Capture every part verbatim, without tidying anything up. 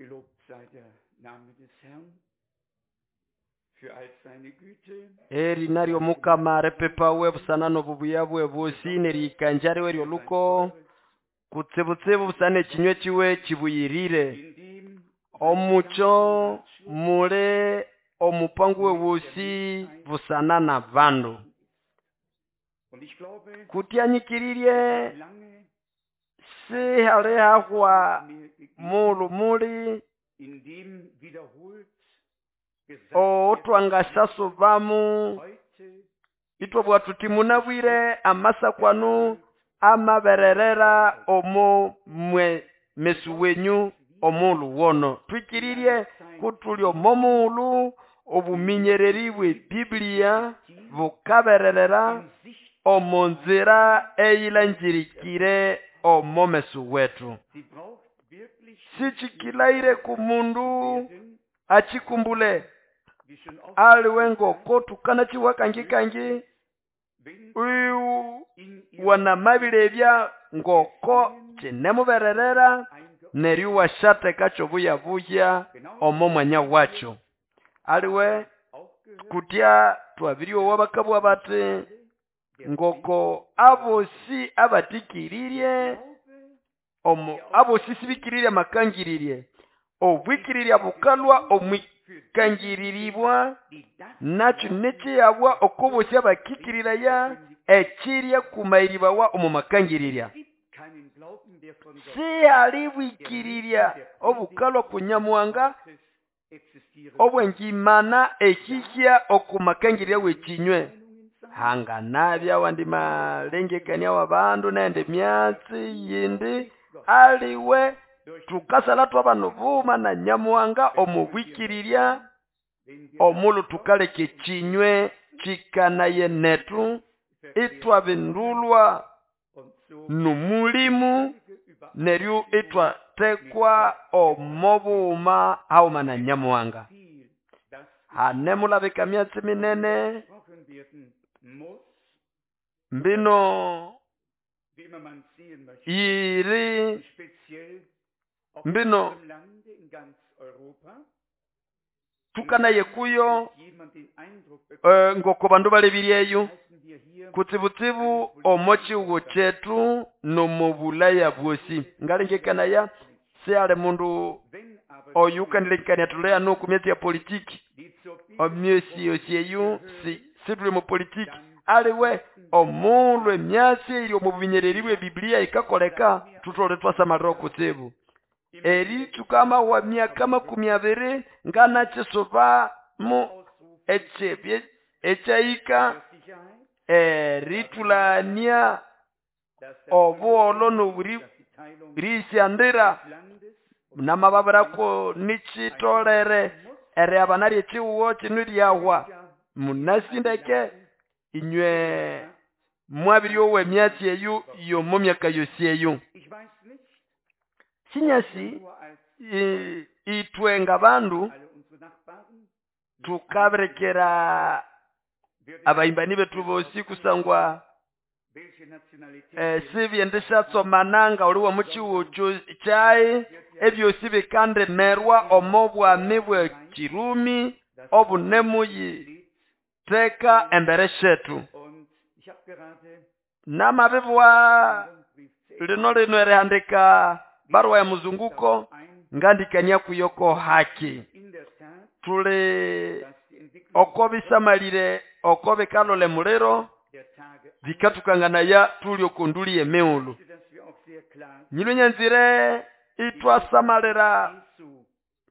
Gelobt sei der Name des Herrn für all seine Güte. Eri naryo mukama ripipawe busana n'obubuya bwe bwosi nerihikanja riwe ry'oluko kutsibutsibu busana ekinywa kiwe kibuyirire. In dem Omucho mule omupango we wosi busana na bandu. Und ich glaube, Kutyanyikiririe lange sihali hahwa mehr gegeben, mulu muli in dem wiederholt gesagt otwangasasubamu heute itwabwa tuti munabwire amasakwanu amabererera omo mwe mesu wenyu omulu wono. Twikiririe kutuli omo mulu obuminyereri bwe Biblia bukabererera omo nzira eyilanjirikire omo mesu wetu. sie braucht wirklich Sichikilaire ku mundu werden, achikumbule wie schon oft aliwe ngoko tukana chiwa kangi kangi wenn uyu in ihr wanamabilebya ngoko kinemubererera neryo washateka kyobuyabuya omo mwanya wacho. Aliwe auch gehört, kutya twabiryowa bakabwa bati ngoko abosi abatikiririe glaube, omo abosi sibikiririe amakangiririe obwikirirya bukalwa omwikangiriribwa die das nakyo nekyiyabwa okobosi abakikiriraya ekirya kumayiribawa omu makangirirya. gibt keinen Glauben, der von Gott Sihali bwikirirya obukalwa kunyamuhanga Gottes existieren obwengimana ekihya okumakangirya w'ekinywe. Hanganabya wandi malengekania w'abandu nende myatsi yindi aliwe tukasala twabana buma na nyamuhanga omu bwikirirya omulu tukaleka ekinywe kikanaye netu itwabindulwa und so numulimu neryo itwatekwa omo bughuma haghuma na nyamuhanga. viel, das Hane mulabika myatsi minene gesprochen werden muss, mbino wie immer man sehen möchte, yiri speziell auch in mbino unserem Lande, in ganz Europa, tukanaye kuyo jemand den Eindruck bekommt, eh, ngoko bandu balebiryeyo heißen wir hier kutsibutsibu omo chiwo chetu nomu bulaya bwosi. Ngalengekanaya sihali mundu wenn aber oyu ukanilengekania tuleya nuku myatsi ya politiki die zur omyesi yosi eyu si situli mu politiki aliwe omulhu emyatsi eyiri omu buminyereri bwe Biblia ikakoleka tutole twasamalira okutsibu. Eritsuka amahwa myaka makumi abiri nganakisubamu ekyebye ekyahika Sicherheit, eritulania dass das obuholho n'oburi dass die Teilung risyandira des Landes namababirako nikyitolere eriabana ly'ekihuho kino lyahwa. Munasindeke inywe mwabiryowa emyatsi eyu y'omu myaka yosi eyu. Ich weiß nicht, Sinyasi nur als i- itwe ng'abandu alle unsere Nachbarn tukabirekera abahimbani bethu bosi kusangwa welche Nationalität eh, sibyendisyatsomana nga uli w'omu kihuho kyo- kyayi ebyosi bikandimerwa omo bwami bwe Kirumi obunemuyitheka embere syetu. und ich habe gerade Namabibwa einen Rundbrief zu lino lino erihandika barua ya muzunguko ein ngandikania kuyoko haki. in der Tat, Tuli dass die Entwicklung oko bisamalire oko bikalole muliro der Tage bikatukanganaya tuli okunduli emighulhu. dass wir auch sehr klar Nyilwe nyanzire itwasamalira Jesu,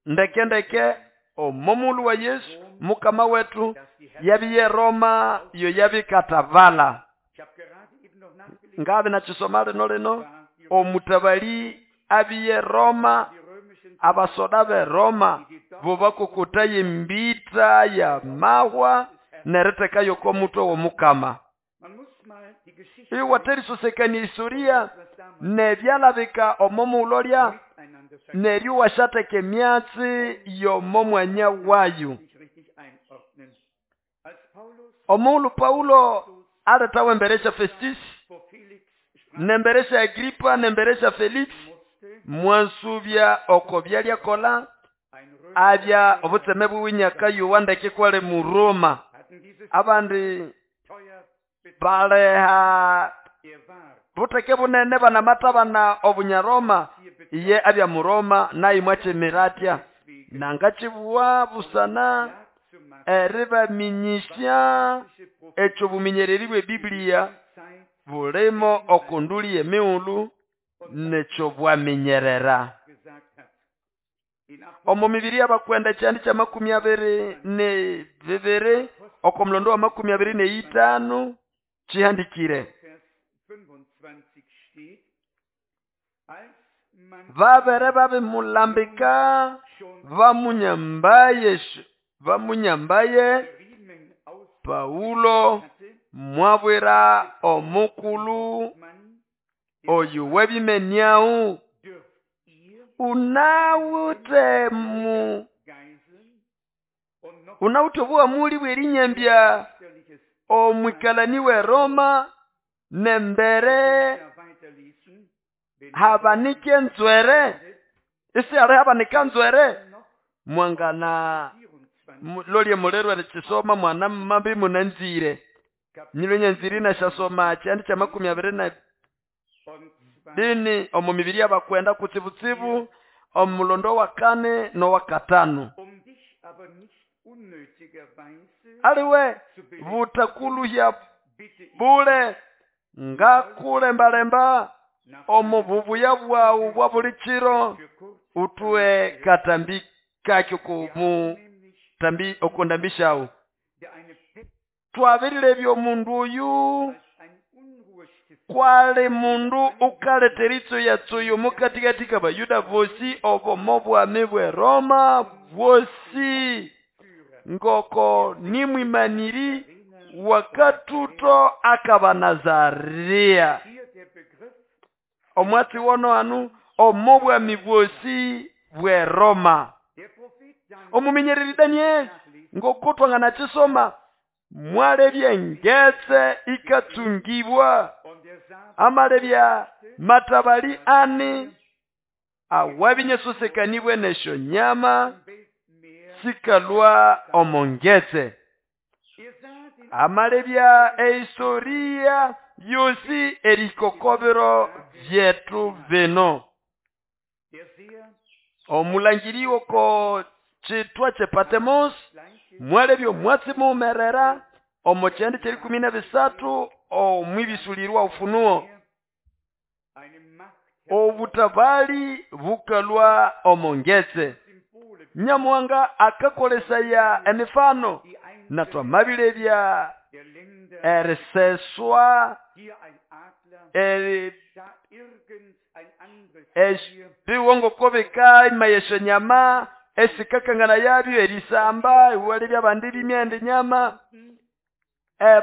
ndeke ndeke omo mulu wa Yesu mukama wetu dass die Herren, yabiye Roma iyo yabikatavala. ich habe gerade eben noch nachgelesen, Ngabe nakisoma lino lino war die, omutabali abiye Roma die römischen abasoda be Roma bo bakokotaya embita ya mahwa neritekayo okw'omutwe w'omukama. Man muss mal die Geschichte Iwaterisosekania historia was damals nebyalabika omo mulolya miteinander neryo washateka emyatsi y'omo mwanya wayo. sich richtig einordnen. Als Paulus Omughulhu Paulo aletawa embere sya Festus vor Felix sprach nembere sya Agripa nembere sya Felix musste, Mwasubya oko byalyakola abya obutseme bwiwe nyakayowa ndeke kwali mu Roma. Abandi baleha buteke bunene banamathabana obunyaroma iye abya mu Roma naye mwakimira atya nangakibuwa busana eribaminyisya ekyo buminyereri bwe Biblia bulimo okunduli y'emighulhu nekyo bwaminyerera. Omo mibiri y'abakwenda ekyandi kya makumi abiri ne bibiri oko mulondo wa makumi abiri neitano kihandikire babere babimulambika bamunyambaye bamunyambaye Paulo mwabwira omukulu oyu webimeniau unawute mu unawute obuhamuli bw'erinyambya omwikalani we Roma nembere habanike nzwere isi ali habanika nzwere mwangana lolye mulero erikisoma mwana mambi munanzire nyilo nyanzire nashasoma kyandi kya makumi abiri na bini omu mibiri y'abakwenda kutsibutsibu omulondo wa kane n'owa katano. Aliwe butakuluhya bule ngakulembalemba omu bubuya bwawu bwa buli kiro utue katambi kakyo kumu tambi okundambishawu. Twabirilebya omundu oyu kwali mundu ukaletera itsuya-tsuya mukatikati k'Abayuda bosi obomo bwami bwe Roma bwosi ngoko nimwimaniri wakatuto akabanazaria. Omwatsi wono anu omo bwami bwosi bwe Roma. Omuminyereri Daniel ngoko twanganakisoma mwalebya engetse ikatsungibwa amalebya matabali ani awabinyesosekanibwe nesho nyama sikalwa omongetse. Amalebya ehistoria yosi erikokobero byetu bino. Omulangiri woko chitwa che Patmos mwalebya omwatsi mumerera omo kyandi kyerikumi na bisatu omwibisulirwa Ufunuo. Obutabali bukalwa omongetse. Nyamuhanga akakolesaya emifano na twamabilebya eriseswa eri biwongo kobeka imayesho nyama esikakangana yabyo erisamba iwalebya abandi bimyende nyama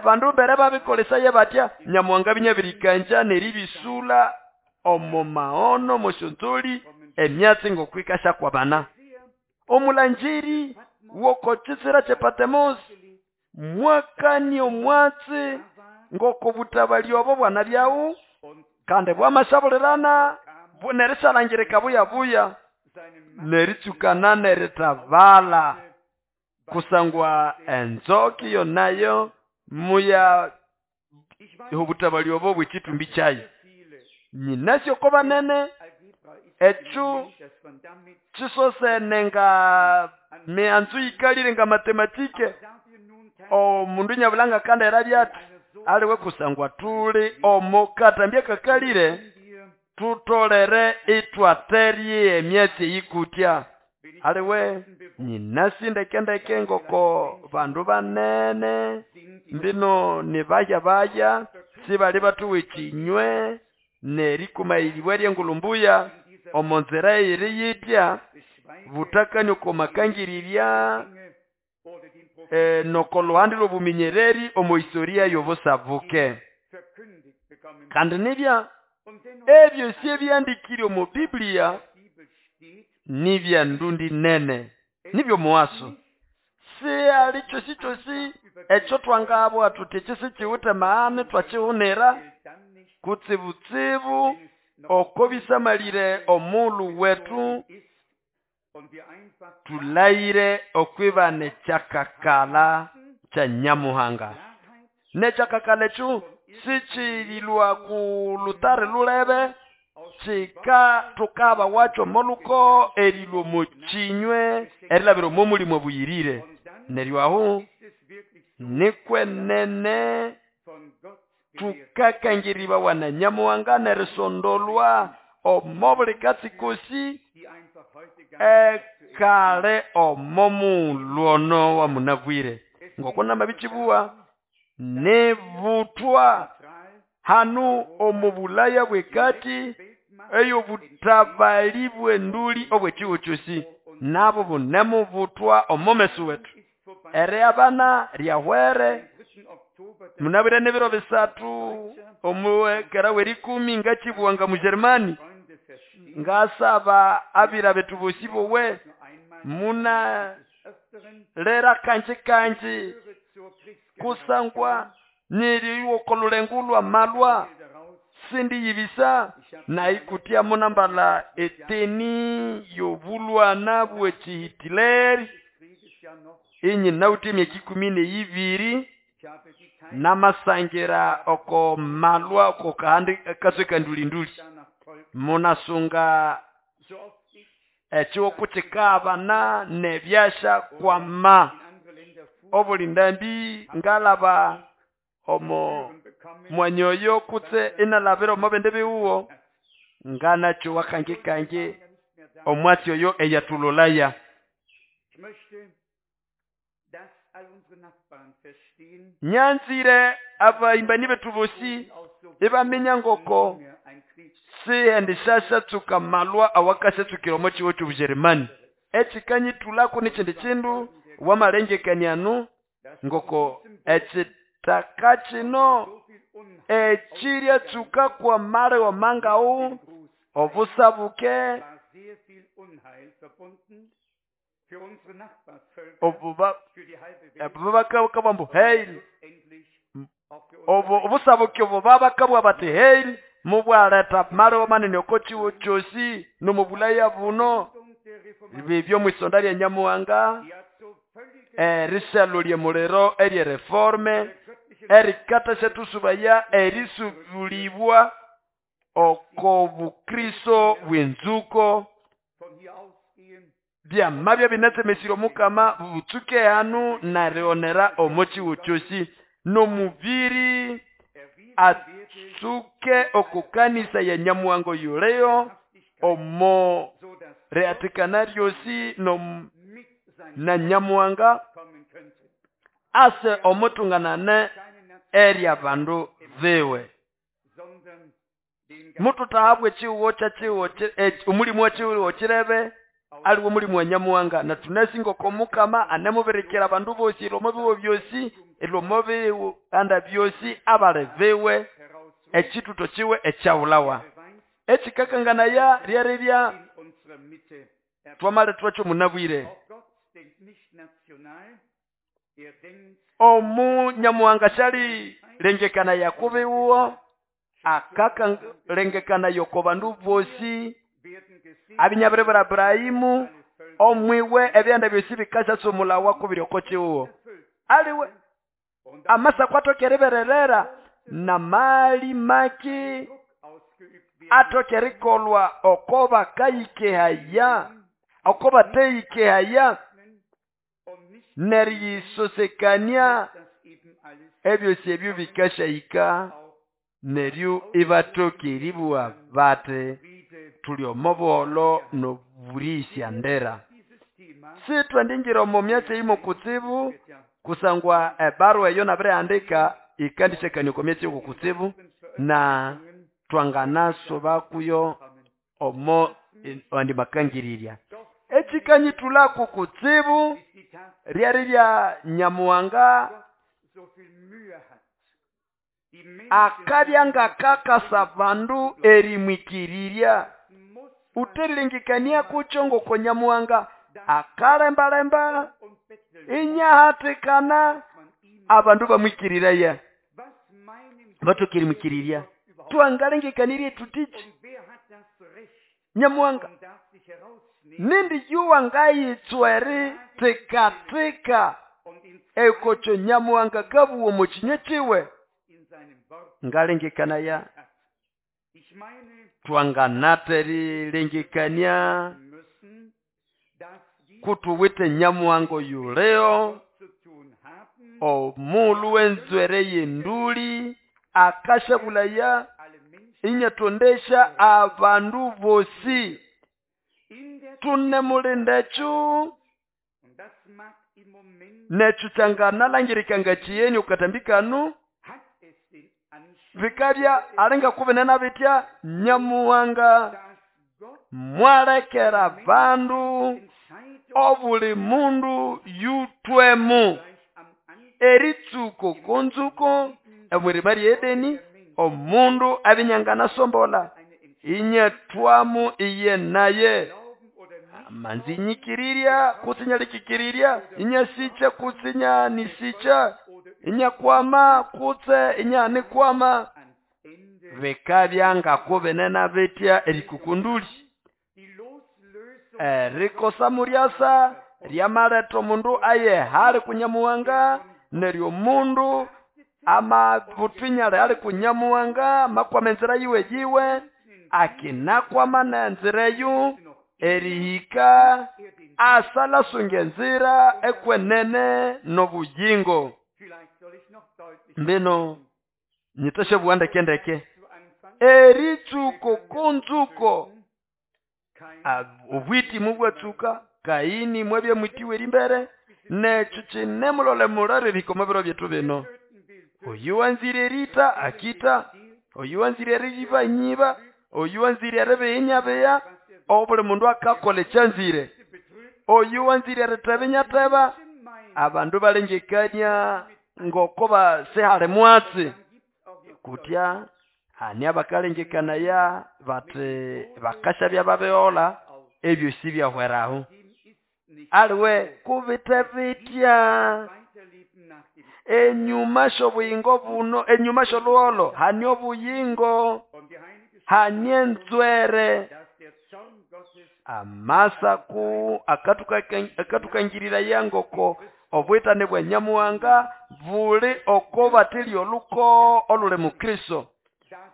bandu mbere babikolesaya batya Nyamuhanga binyabirikanja neribisula omo maono moshonzoli emyatsi ngokwikasha kwa bana. Omulanjiri woko chisira che Patmos mwakani omwatsi ngoko butabali obo bwana byawu kandi bwamashaburirana nerishalangirika buya buya neritsukana neritabala kusangwa enzoki yonayo muya obutabali obo bwekitumbi kyayo. Nyinasyo ko banene echu kisosene nga mianzu ikalire nga matematike omundu nyabulanga kandi erabyati aliwe kusangwa tuli omo katambya kakalire tutolere itwaterie emyatsi yikutya. Aliwe nyinasi ndekendeke ngoko bandu banene mbino nibaya baya sibali batuwe kinywe nerikumayiriwe ryengulumbuya omonzera eri yitya butakani komakangirirya e, nokoluhandi lwobuminyereri omo historia yobusabuke. Kandi nibya ebyo si ebyandikire omu Biblia nibya ndundi nene nibyo muwaso si ali chosi chosi ekyo twangabwa tuti ekisi kiwute maani twakihunira kutsibutsibu Oko bisamalire omulu wetu tulayire okwibana ekyakakala kya Nyamuhanga. Nekyakakala ekyo sikirilwa ku lutare lulebe, kika tukaba wacho moluko erilwa omukinywe erilabira omo mulimo obuyirire. Neryo aho nikwenene tukakangiribawa na Nyamuhanga nerisondolwa omo buli katsi kosi ekale omo mulwono wa munabwire. Ngoko namabikibuwa nebutwa hanu omu Bulaya bwekati eyobutabali bwenduli obwekiwo kyosi nabo bunemubutwa omo meso wetu. Ere abana ryahwere munabwire n'ebiro bisatu omuwekera werikumi ngakibuwanga mu Germany ngasaba abira betu bosi bowe muna lera kanji kanji kusangwa niriwo kolulengulwa malwa sindi yibisa na ikutia munambala eteni yobulwana bwekihitileri inyi nauti myaka ikumi neyibiri namasangira oko malwa oko kahandi kaswe kandulinduli munasunga ekiwo kuchikabana nebyasha kwama obulindambi ngalaba omo mwanyoyo kutse inalabira omo bende biwuwo nganacho wakange kange omwatsi oyo eyatulolaya. Nyanzire abaimbani betu bosi ibaminya ngoko sihendishasha tsuka malwa awakashatsukira omo kiwo ky'Obujerumani. Ekikanyitulako n'ekindi kindu wamalengekaniano ngoko ekitaka kino ekirya tsuka kwa male wa mangau obusabuke obuba ebubakabambu heil obu obusabuke obubabakabwa bati heil mubwaleta male wa manene oko kiwo kyosi nomubulaya buno bibyo mwisonda lya Nyamuhanga erisalo lya muliro erye reforme erikata shetusubaya erisubulibwa oko bukristo bw'enzuko byamabya binatsemesire omukama butsuke hanu narionera omo kiwo kyosi nomubiri atsuke okukanisa ya Nyamuhanga yuleyo omo reatikana ryosi no na Nyamuhanga ase omutunganane erya bandu biwe. Mututahabwe chiwo cha chiwo omulimu wa chiwo kirebe aliwo mulimu wa Nyamuhanga na tunasinga komukama anemubirikira bandu bosi ilomo biwo byosi ilomo biwo anda byosi abale biwe ekituto kiwe ekyawulawa ekikakanganaya ryaribya twamale twakyo munabwire. Omu Nyamuhanga shali lengekana yakubiwo akaka lengekana yoko bandu bosi abinyabiribira Abrahimu omwiwe ebyanda byosi bikasasomulawa kubiri oko kiwo aliwe amasa kwatokerebererera na mali maki atokerikolwa oko bakayikehaya oko bateyikehaya neriyisosekania ebyosi ebyo bikashayika neryo ibatokeribwa bate tuli omo buholo noburisya ndera. Sitwandingira omo myatsi imo kutsibu kusangwa ebarua eyo nabirehandika ikandishekania oko myatsi oko kutsibu na twanganasoba kuyo omo andi makangirirya. Ekikanyitulako kutsibu ryari rya Nyamuhanga akabyanga kakasa bandu erimwikirirya uterilengekania kucho ngoko Nyamuhanga akalembalemba inyahatikana abandu bamwikiriraya batokerimwikirirya twangalengekanirie tutichi. Nyamuhanga nindi yuwa ngayitsweri tikatika ekokyo Nyamuhanga kabuwa omo kinywa kiwe. Ngalengekanaya twanganaterilengekania kutuwite Nyamuhanga oyuleo omulu wenzwere yenduli akashabulaya inyatondesha abandu bosi tune mulindechu nechu kyanganalangirikanga chiyeni okatambikanu vikabya alinga kubenena bitya Nyamuhanga mwalekera bandu obuli mundu yutwemu eritsuko konzuko omwirima rye Edeni omundu abinyangana sombola inyatwamu iye naye manzinyikirirya kutsinyalikikirirya inyasicha kutsinyanisicha inyakwama kutse inyanikwama bikabyanga kubenena bitya erikukunduli erikosa muryasa ryamaleta omundu aye hali kunyamuhanga neryo omundu amabutwinyale ali kunyamuhanga makwama enzira yiwe yiwe akinakwama nenzira eyu erihika asalasunga enzira ekwenene nobuyingo. Mbino nyitashe buwandekendeke eritsuko konzuko obwiti mubwatsuka Kaini mwabya mwitiwe erimbere nekyo kinemulole mulere ebikoma biro byetu bino. Oyu wanzire erita akita, oyu wanzire eriyiba nyiba, oyu wanzire eribinya obuli mundu akakola ekyanzire, oyu wanzire eriteba inyateba. Abandu balengekania ngoko basihali mwatsi kutya hani abakalengekanaya bati bakashabya babeola ebyo sibyahweraho aliwe kubite bitya enyuma shobuyingo buno enyuma sholuholo hani obuyingo hani enzwere amasaku akatukangirira yangoko obwitane bwa Nyamuhanga buli oko batili oluko olule mu Kristo.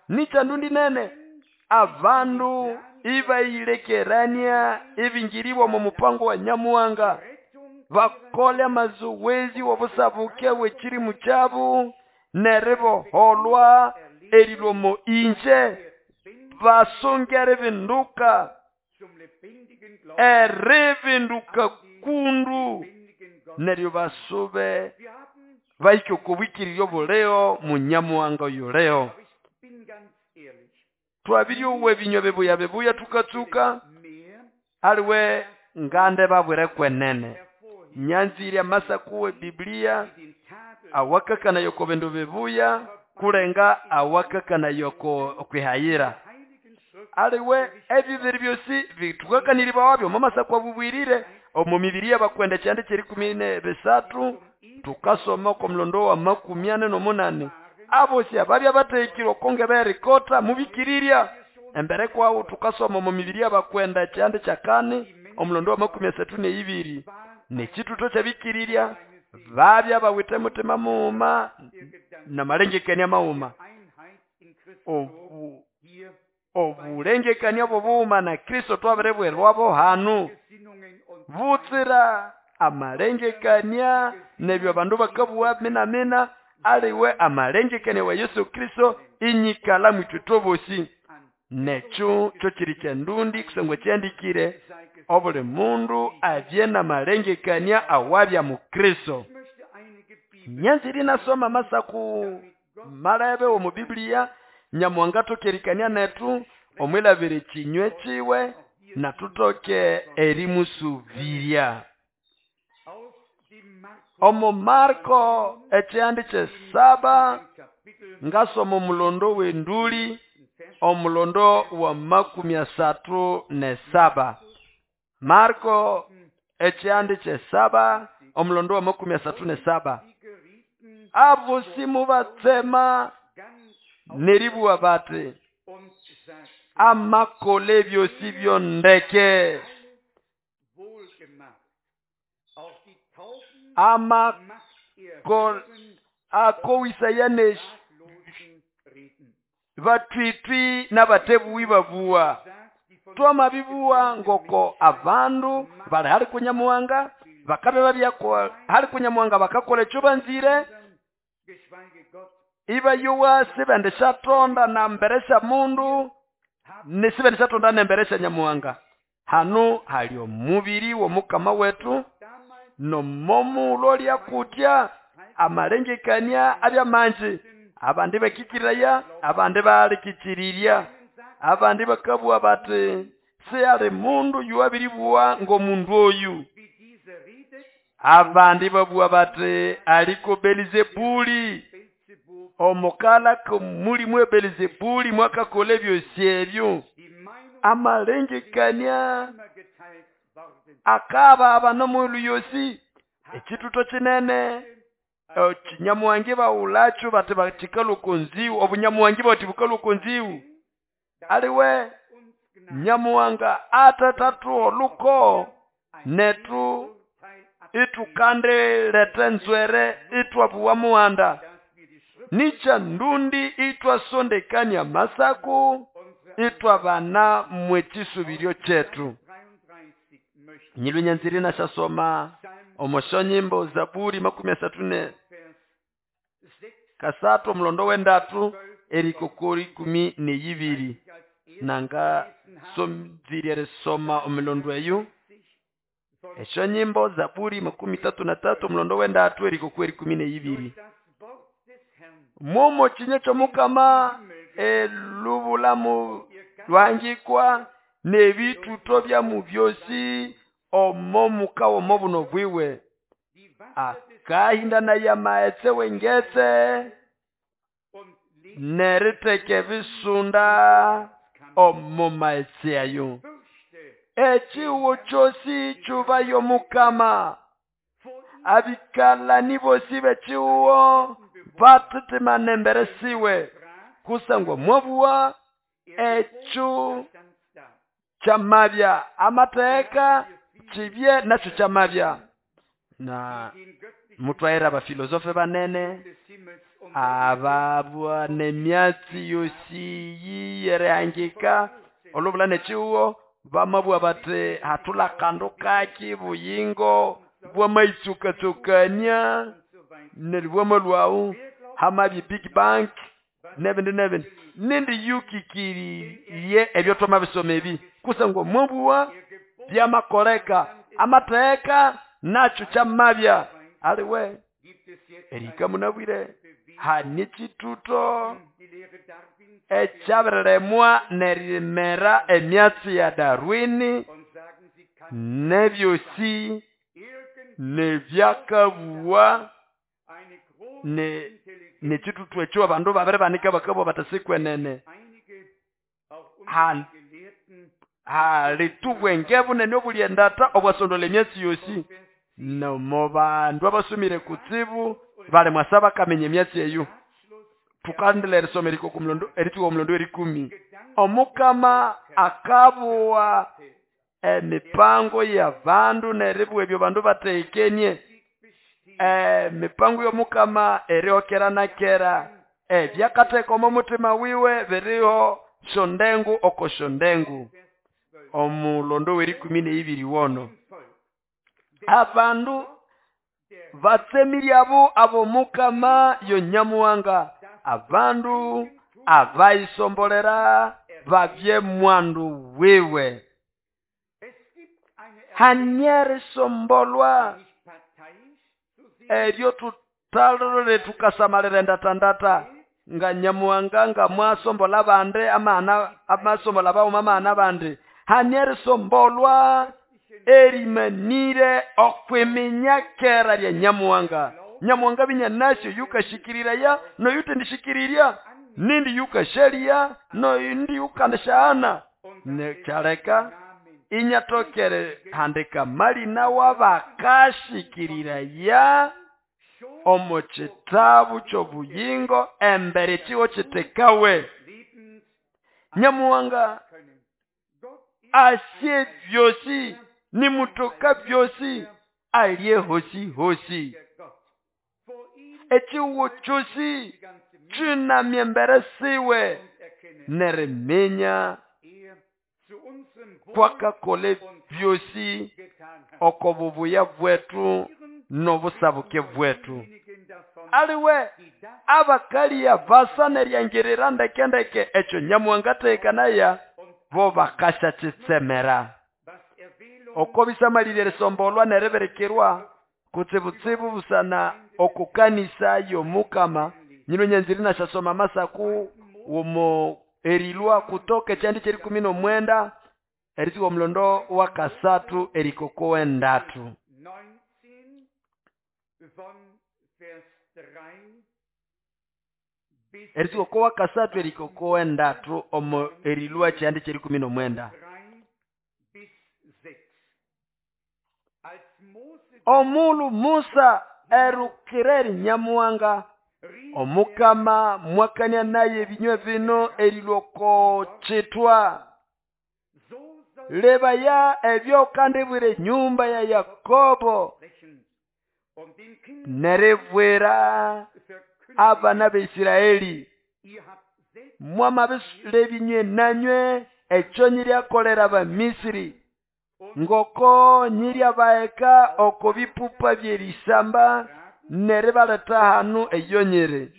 Nichandundi nene abandu ibailekerania ibingiriwa mu mupango wa Nyamuhanga bakole amazoezi wobusabuke wekiri muchabu neriboholwa erilomo inje basongere binduka erivinduka kundu neryo basube bahike okubwikirirya obuleo mu Nyamuhanga oyuleo. Twabiryowa ebinywa bibuya bibuya tukatsuka aliwe ngande babwire kwenene nyanzire amasaku we Biblia awakakana yoko bindu bibuya kulenga awakakana yoko okwihayira aliwe ebibiri byosi bitukakaniriba wabyo mu masaku abubwirire omu mibiri y'abakwenda kyande kyerikumi ne bisatu tukasoma oko mulondo wa makumi ane n'omunane abosi ababya batekirwe okonge berikota mubikirirya embere kwawo tukasoma omu mibiri y'abakwenda kyande kyakane omulondo wa makumi asatu neibiri nekituto kyabikirirya babya bawite mutima muuma namalengekania mauma obu obulengekania obubuuma na Kristo twabirebwerwabo hanu butsira amalengekania nebyo abandu bakabuwa mina mina aliwe amalengekania wa Yesu Kristo inyikala mwitwe tobosi nekyo kyo kiri kyendundi kusangwa kyandikire obuli mundu abye namalengekania awabya mu Kristo. Nyanziri nasoma masaku malebe omu Biblia Nyamuhanga tokerikania netu omwilabire kinywe kiwe natutoke erimusubiria. Omo Marko ekyandi kyesaba ngasoma omulondo w'enduli omulondo wa makumi asatu ne saba. Marko ekyandi kyesaba omulondo wa makumi asatu ne saba. Abo simubatsema neribuwa bati Amakola ebyosi byondeke. Amakola akowisaya ne batwitwi n'abatebuwi babuwa. Twamabibuwa ngoko abandu bali hali kunyamuhanga bakabe babyako hali kunyamuhanga bakakola ekyo banzire ibayowa sibendishatonda na mbere sya mundu nesibendishatonda nembere sya nyamuhanga. Hano hali omubiri w'omukama wetu nomomulo lyakutya amalengekania abyamanji abandi bakikiraya abandi balikichirirya abandi bakabwa bati siyali mundu yuwabiribuwa ng'omundu oyu. Abandi babwa bati aliko Belizebuli omukala kumulimu Belizebuli mwakakola ebyosi ebyo. Amalengekania akaba abanomulu yosi ekituto kinene kinyamuhangi bawulacho bati batikalukonziwu obunyamuhangi bati bukalukonziwu aliwe nyamuhanga atatatu oluko netu itukandilete nzwere itwabuwa muhanda nicha ndundi itwasondekania masaku itwabana mwekisubiryo kyetu. Nyilunyanziri nashasoma omosho nyimbo Zaburi makumi asatu ne kasatu omulondo wendatu erikokori ikumi neyibiri nanga somziri erisoma omulondo eyo esho nyimbo Zaburi makumi tatu na tatu omulondo wendatu erikokori ikumi neyibiri. Momo kinye ky'omukama elubulamu lwangikwa n'ebituto byamu byosi omo muka omo buno bwiwe akahinda ya maetse wengetse neriteke bisunda omo maetse ayo echiwo kyosi kyubayo mukama abikalani bosi bechiwo batitimana embere siwe kusangwa mwabuwa echo kyamabya amateeka kibye nakyo kyamabya. Na mutwaira abafilosofe banene ababwa nemyatsi yosi yiyerehangika olubula nechiwo bamabwa bati hatula kandu kaki buyingo bwamaitsukatsukania neribwamalwawu hamabi Big Bang nebindi nebindi nindi yukikiriye ebyo twamabisoma ebi kusangwa mwabuwa byamakoleka amateeka nakyo kyamabya aliwe erika munabwire hani kituto ekyabiremwa nerimera emyatsi ya Darwini nebyosi nebyakabuwa ne nekitutu ekyo abandu babiri banika bakabwa batasikwenene halitubwenge bunene obulyendata obwasondola emyatsi yosi nomo bandu abasumire kutsibu bali mwasa bakamenya emyatsi eyo. Tukandila erisoma eriko kumulondo erituka omulondo erikumi omukama akabuwa emipango ya bandu neribwa ebyo bandu batekenie emipango y'omukama erihokera na kera ebyakatheka omo mutima wiwe biriho shondengu oko shondengu. Omulondo w'erikumi n'eibiri wono abandu batsemirye abo mukama yonyamuhanga abandu abayisombolera babye mwandu wiwe hanyeri sombolwa eryo tutalole tukasamalira endatandata nga nyamuhanga nga mwasombola bande amana amasombola bauma amana bande hanyeri sombolwa erimanire okwiminya kera lya nyamuhanga. Nyamuhanga binyanasyo yukashikiriraya noyutendishikirirya nindi yukasheria noyindi yukandishaana nekyaleka inyatokere handika malina wabakashikiriraya omu kitabu ky'obuyingo embere kiwo kitekawe. Nyamuhanga Asye byosi nimutoka byosi alye hosi hosi. Echiwo chosi chinamye mbere siwe neriminya kwakakole byosi oko bubuya bwetu n'obusabuke bwetu. Aliwe abakalia basa neryangirira ndeke ndeke ekyo Nyamuhanga atekanaya bo bakasha chitsemera. Oko bisamalire erisombolwa neribirikirwa kutsibutsibu busana okukanisa y'omukama nyino nyanziri nashasoma masaku womo erilwa kutoka ekyandi kyerikumi n'omwenda erisiwa omulondo wa kasathu erikoko wendatu. Erisiwa oko wa kasathu erikoko wendatu omo erilwa kyandi kyerikumi n'omwenda. Omulu Musa erukira Nyamuhanga omukama mwakania naye ebinywe bino erilwa chitwa lebaya ebyo kandibwire nyumba ya Yakobo neribwira abana b'Isiraeli mwamabisule nanywe ekyo nyiryakolera Abamisiri ngoko nyiryabaeka oko bipupa byerisamba neribaleta hanu eyonyere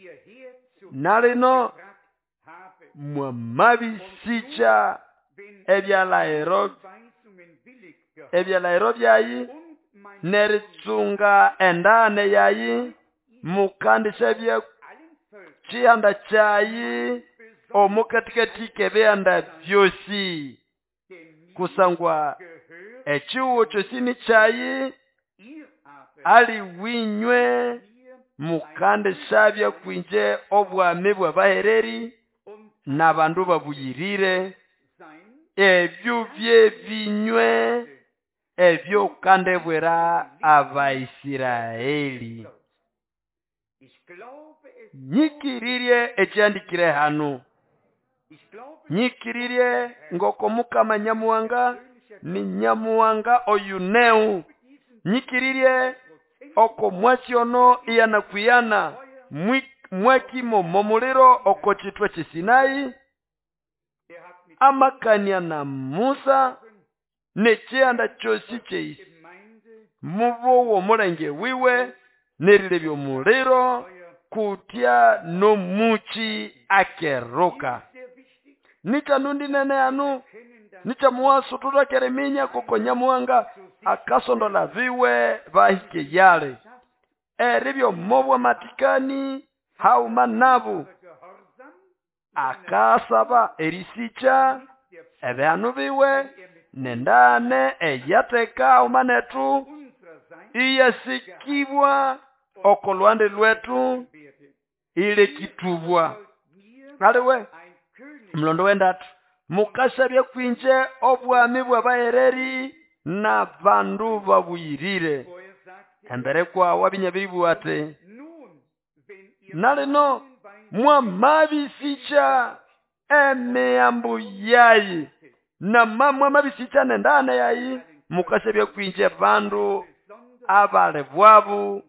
nalino mwamabisicha ebyalahero ebyalahero byayi neritsunga endane yayi mukandisha bya chihanda chayi omukatikati kebihanda byosi kusangwa echiwo kyosi ni chayi ali winywe mukandishabya kwinje obwami bw'abahereri n'abandu babuyirire ebyo byebinywe ebyo kandibwira Abaisiraeli. Nyikiririe ekyandikire hanu nyikiririe ngoko mukama Nyamuhanga ni Nyamuhanga oyuneu nyikiririe oko mwasiono iyana kuyana mwakimo momuliro oko chitwe chisinai amakania na Musa nekyanda kyosi kyeisi mubowo omulenge wiwe nerilebya omuliro kutya nomuchi akeruka. Nicha nundi nene anu nicha muwaso tutakereminya koko Nyamuhanga akasondola viwe bahike yale eribyo mobwa matikani hauma nabu akasaba erisicha ebyanu biwe nendane eyateka umanetu iyasikibwa oko lwande lwetu ile kitubwa. Aliwe mlondo wendatu mukashabya kwinje obwami bw'abahereri na bandu babuyirire embere kwa wabinyabiribu ate nalino mwamabisicha emiyambu yayi na mwamabisicha nendane yayi mukashabya kwinje bandu abale bwabu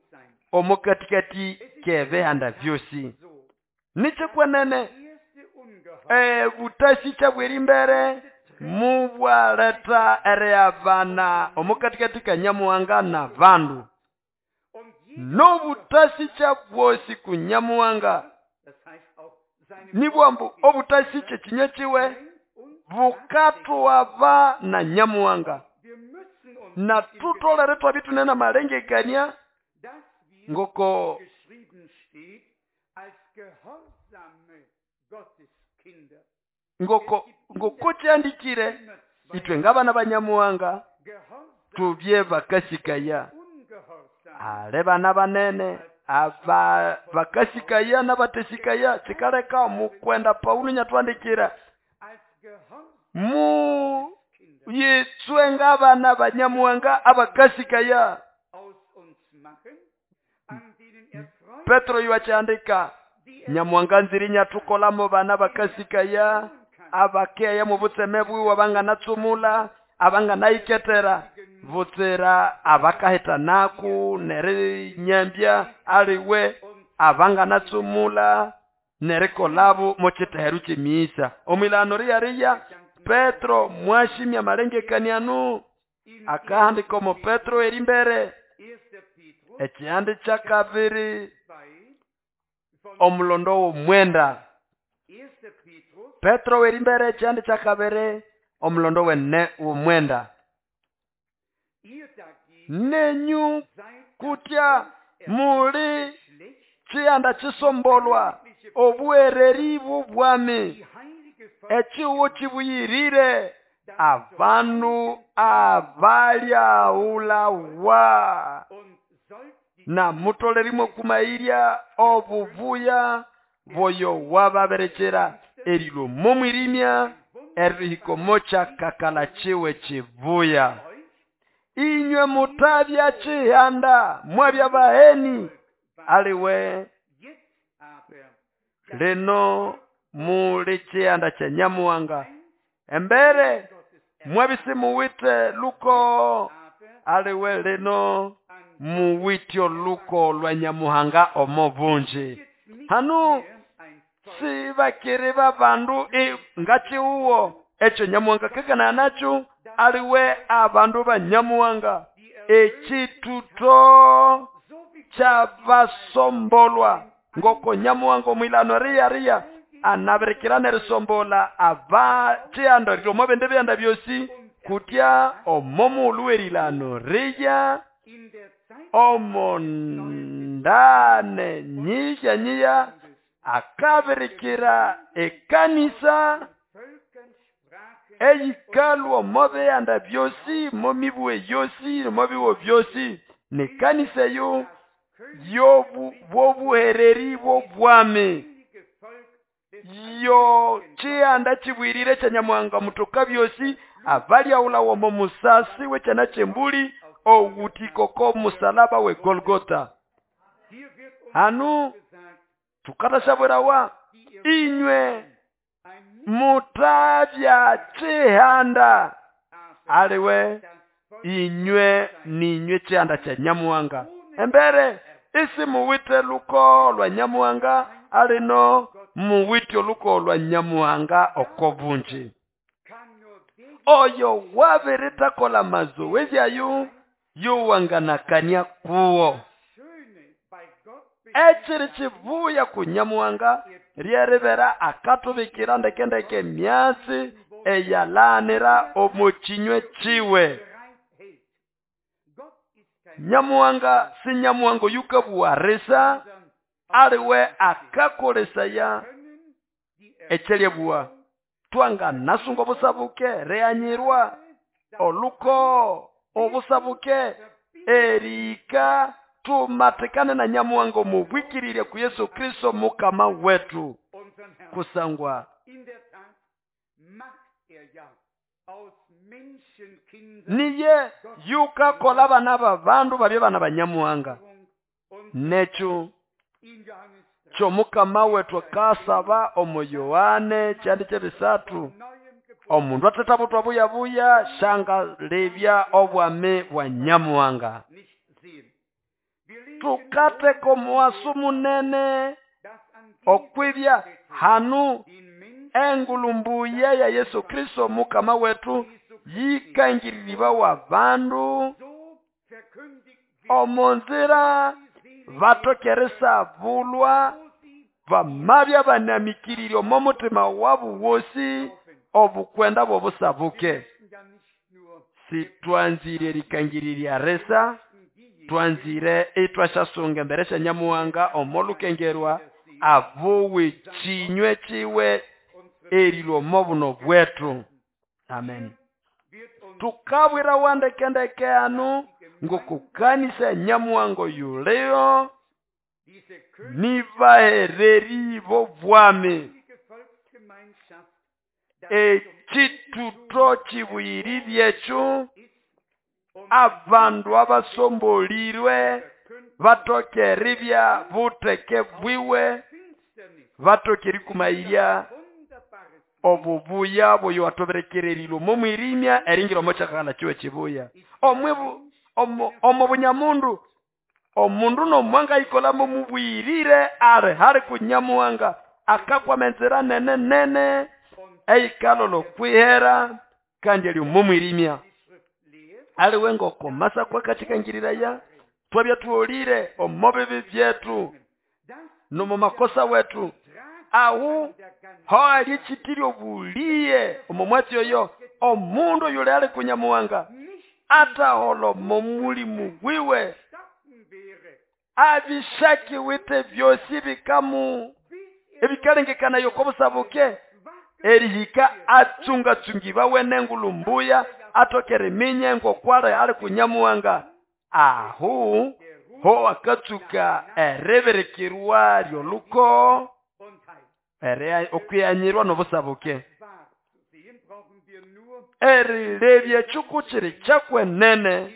omukatikati kebehanda vyosi. Nichikwenene e butasicha bwerimbere mubwaleta ereabana omukatikati ka Nyamuhanga na bandu nobutasicha bwosi ku Nyamuhanga nibwambu obutasicha kinywe kiwe bukatwaba na Nyamuhanga na tutolere twabitunena malengekania ngoko ngoko ngoko kyandikire itwe ngabana ba Nyamuhanga tubye bakasikaya ale bana banene aba bakasikaya n'abatesikaya kikaleka mukwenda Paulo nyatwandikira mu yitswe ngabana ba Nyamuhanga abakasikaya. Petro yuachandika Nyamuhanga nziri nyatukolamo bana bakasikaya abakeya mu butseme bwiwe abanganatsumula abanganayiketera butsira abakahitanaku nerinyambya aliwe abanganatsumula nerikolabo muchiteheru chemisa omwilano riyariya Petro mwashimya malengekaniano akahandika omo Petro erimbere ekihandi kya kabiri omulondo w'omwenda Petro erimbere ekihandi kya kabiri omulondo wene w'omwenda nenyu kutya muli chihanda chisombolwa obuhereri bw'obwami echiwo chibuyirire abandu abalyaulawa na mutolerimo kumairya obubuya boyo wababerekera erilo momwirimya erihikomo kyakakala chiwe chibuya inywe mutabya chihanda mwabya baheni aliwe lino muli chihanda kya Nyamuhanga embere mwabisimuwite luko aliwe lino muwityo luko lwa Nyamuhanga omo bunji hanu sibakiri babandu ngachiuwo ekyo Nyamuhanga kekana nacho aliwe abandu ba Nyamuhanga ekituto kyabasombolwa ngoko Nyamuhanga omwilano riya riya anabirikira nerisombola aba chihanda rilomo bende byanda byosi kutya omo muulu werilano riya omo ndane nyiya nyiya akabirikira ekanisa eyikalwa omo bihanda byosi mo mibwe yosi mo biwo byosi nekanisa eyo yobuhereri bw'obwami yo chihanda chibwirire kya Nyamuhanga mutoka byosi abalyaulawa omo musasi w'ekyana ky'embuli owutikoko musalaba we Golgotha hanu tukatashabwerawa inywe mutabya chihanda aliwe inywe ninywe chihanda kya Nyamuhanga embere isi muwite luko lwa Nyamuhanga alino muwite oluko lwa Nyamuhanga oko bunji oyo wabiritakola mazoezi ayo yowanganakania kuwo ekiri kibuya ku Nyamuhanga ryeribera akatubikira ndekendeke myasi eyalanira omu kinywe kiwe Nyamuhanga si Nyamuhanga oyukabuwarisa aliwe akakolesaya ekyelyebua twanganasunga obusabuke reanyirwa oluko obusabuke erika tumatikane na Nyamuhanga omubwikirire ku Yesu Kristo mukama wetu kusangwa niye yukakola abana babandu babye bana ba Nyamuhanga nekyo kyomukama wetu akasaba omu Yohane kyandi kyebisatu omundu atetabutwa buyabuya shangalebya obwami bwa Nyamuhanga tukateka omuwasu munene okwibya hanu engulumbuye ya Yesu Kristo mukama wetu yikangiriribawa bandu omunzira batokeresa bulwa bamabya banamikirire omo mutima wabu wosi obukwenda bw'obusabuke sitwanzire erikangiriria resa twanzire itwashasunga embere sya Nyamuhanga omo lukengerwa abuwe chinywe chiwe erilwa omo buno bwetu amen tukabwira wandekendeke anu ngokukanisa Nyamuhanga yuleyo nibahereri b'obwami ekituto kibuyirire ekyo abandu abasombolirwe batoke eribya buteke bwiwe batoke erikumairya Obubuya boyo atoberekererilwe omo mwirimya eringira omo kyakakala kiwe kibuya. Omwibu omo omo bunyamundu omundu nomwanga ikolamo mubwirire ali hali kunyamuhanga akakwama enzira nene nene eikalolo kwihera kandi ali omo mwirimya. Aliwe ngokomasa kwakachikangirira twabya tuolire omo bibi byetu nomo makosa wetu ahu hoali chitiri obuliye omo mwatsi oyo omundu yule ali kunyamuhanga ataholo momulimu wiwe abishaki wite byosi bikamu ebikalengekana yokobusabuke erihika atsungatsungi bawe nengulumbuya atokere minye ngokwale ali kunyamuhanga ahu ho akatsuka ereberekerwa lyoluko ere okwiyanyirwa nobusabuke erilebya chuku chiri chakwenene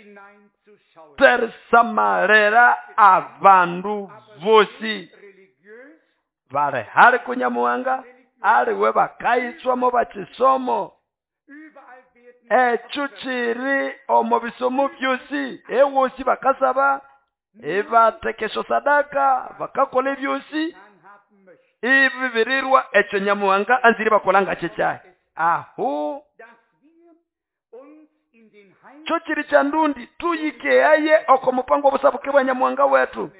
terisamalera abandu bosi bale hali kunyamuhanga aliwe bakayitswamo bachisomo echo chiri omo bisomo byosi ewosi bakasaba ebatekesho sadaka bakakola ebyosi ibibirirwa echo nyamuhanga anziri bakolanga chechaye ahu cho chiri cha ndundi tuyikeaye oko mupango obusabuke bwa nyamuhanga wetu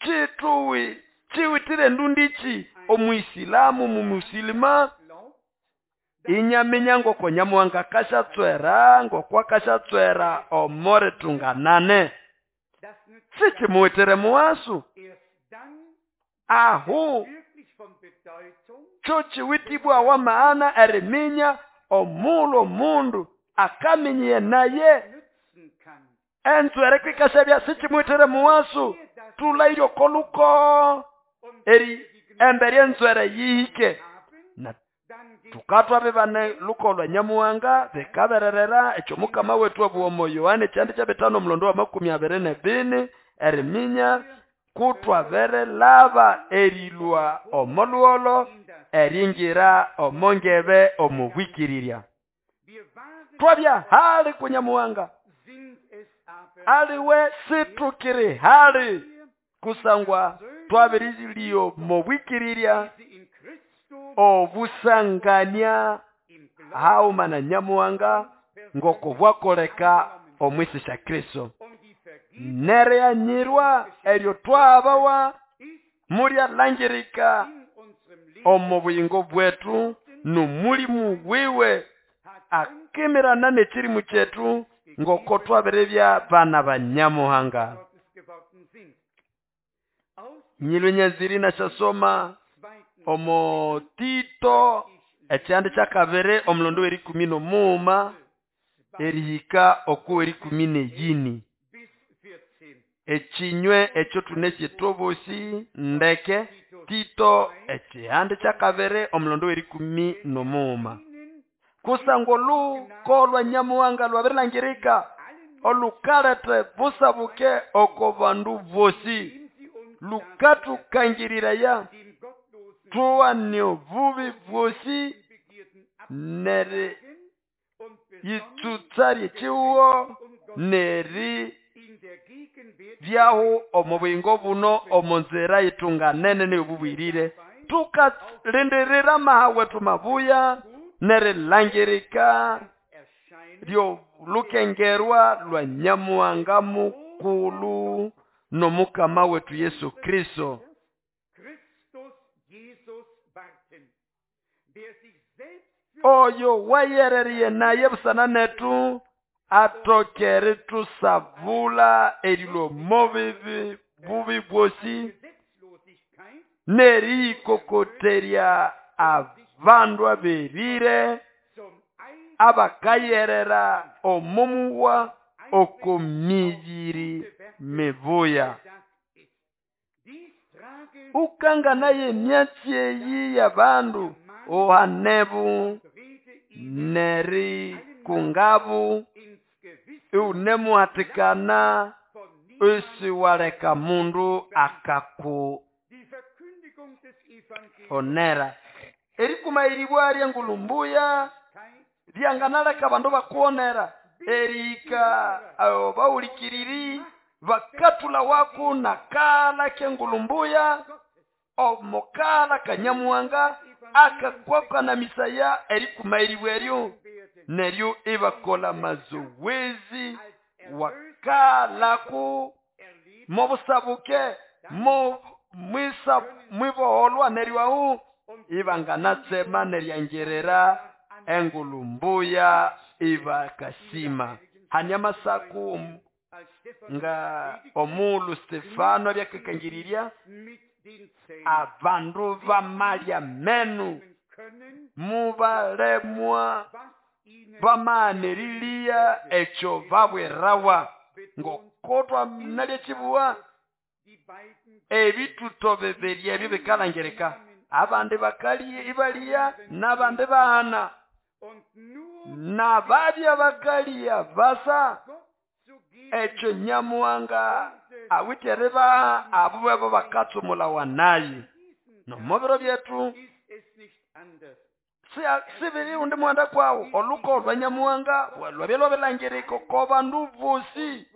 chituwi chiwitire ndundichi omuisilamu mumusilima inyaminya ngoko nyamuhanga kashatswera ngokwa kashatswera omore tunganane sichimuwitere muwasu ahu cho chiwitibwa wa maana eriminya omulo mundu akaminyiye naye enzwere kwikashabya sichimuwitere muwasu tulairyo koluko eri embere enzwere yihike na tukatwa bibane lukolwa nyamuhanga bikabererera ekyo mukama wetu obuomo Yohane kyandi kya bitano omulondo wa makumi abiri nebini eriminya kutwabere laba erilwa omolwolo eringira omongebe omubwikirirya twabya hali kunyamuhanga aliwe situkiri hali kusangwa twabirilio mubwikirirya obusangania hauma na nyamuhanga ngoko bwakoleka omwisi sha Kristo nereyanyirwa eryo twabawa mulya langirika omu buyingo bwetu nomulimu wiwe akimirana n'ekirimu kyetu ngoko twabirebya bana ba nyamuhanga. Nyilwe nyaziri nashasoma omo Tito ekyandi kyakabiri omulondo w'erikumi n'omuuma erihika okuw'erikumi n'eyini ekinywe ekyo tunesye tobosi ndeke Tito ekihandi kyakabiri omulondo w'erikumi n'omuuma kusangwa oluko lwa nyamuhanga lwabirilangirika olukalete busabuke oko bandu bosi lukatukangirira tuwane obubi bwosi neri yitsutsa lyekiwo neri byahu omu buyingo buno omu nzira yitunganene n'eyobubwirire tukalindirira amaha wetu mabuya nerilangirika lyolukengerwa lwa nyamuhanga mukulu nomukama wetu Yesu Kristo. Oyo wayereriye naye busana netu atokere tusabula erilwo mobibi bubi bwosi neriyikokoterya abandu aberire abakayerera omomuwa okomibiri mibuya. Ukangana emyatsi eyi y'abandu ohanebu neri kungabu iunemuhatikana usiwaleka mundu akaku onera. Erikumayiribwa lyengulumbuya lyanganaleka abandu bakuwonera erihika bawulikiriri bakathula waku nakala kengulumbuya omukala kanyamuhanga akakwakana misaya erikumayiribwa eryo neryo ibakola mazoezi wakalaku mobusabuke mo mwisa mwiboholwa neryo ahu ibanganatsema neryangerera engulumbuya ibakasima. Hanya masaku nga omulu Stefano abyakakangiriria abandu bamalya menu mubalemwa bamaanerilia ekyo babwerawa ngokotwa nalyekibuwa ebituto bibiri ebyo bikalangereka abandi bakali ibalia n'abandi bahana nababya bakalia basa ekyo nyamuhanga awitere abo babo bakatsumula wanayi nomubiro byetu sibiri undi muhanda kwawo oluko lwa nyamuhanga lwabya lwabilangereka ko bandu bosi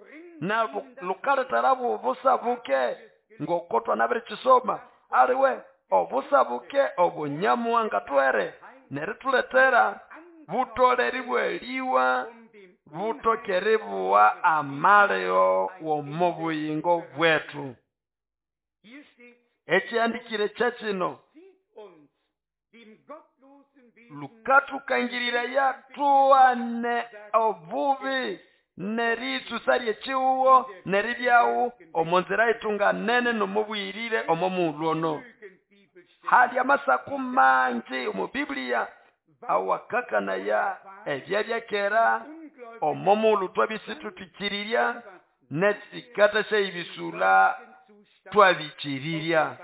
na lukaletera busabuke ngokotwa nabirikisoma aliwe obusabuke obunyamuhanga twere nerituletera butoleri bweliwa butokeribwa amaleo w'omubuyingo bwetu. Ekyandikire kyakino lukatukangirira tuane obubi neritsusa lyekiwuwo neribyawu omunzira itunganene nomubwirire omomulwono. Hali amasaku mangi omu Biblia awakakanaya ebyabyakera omomulu twabisitutukirirya netsikata syebisula twabikirirya.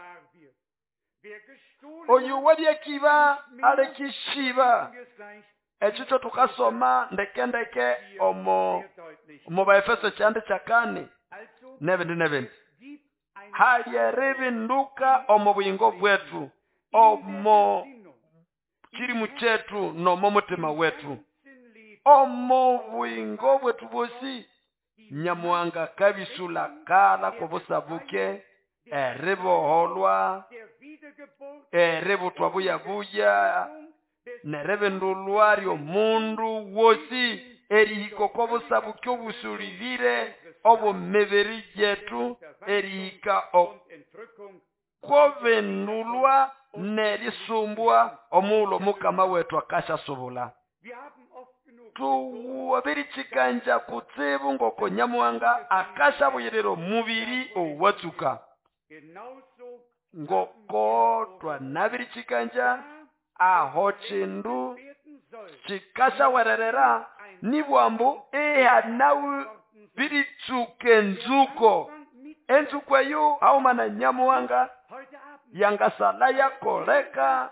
Oyu wabyakiba alekishiba ekyo tukasoma ndekendeke omo omo Baefeso kyandi kyakane nebindi nebindi. Hali eribinduka omo buyingo bwetu omo kirimu kyetu nomo mutima wetu omo buyingo bwetu bosi nyamuhanga kabisula kala kubusabuke eriboholwa eributwa buyabuya nerebendulwa lyomundu wosi erihika okobusabuke obusulirire obumibiri yetu erihika okobendulwa nerisumbwa omulo mukama wetu akashasobula. Tuwabirikikanja kutsibu ngoko nyamuhanga akashabuyirira omubiri owatsuka ngoko twanabirikikanja aho kindu kikashawererera nibwambu ehanawu biritsuka enzuko enzuko eyo haumana nyamuhanga yangasala yakoleka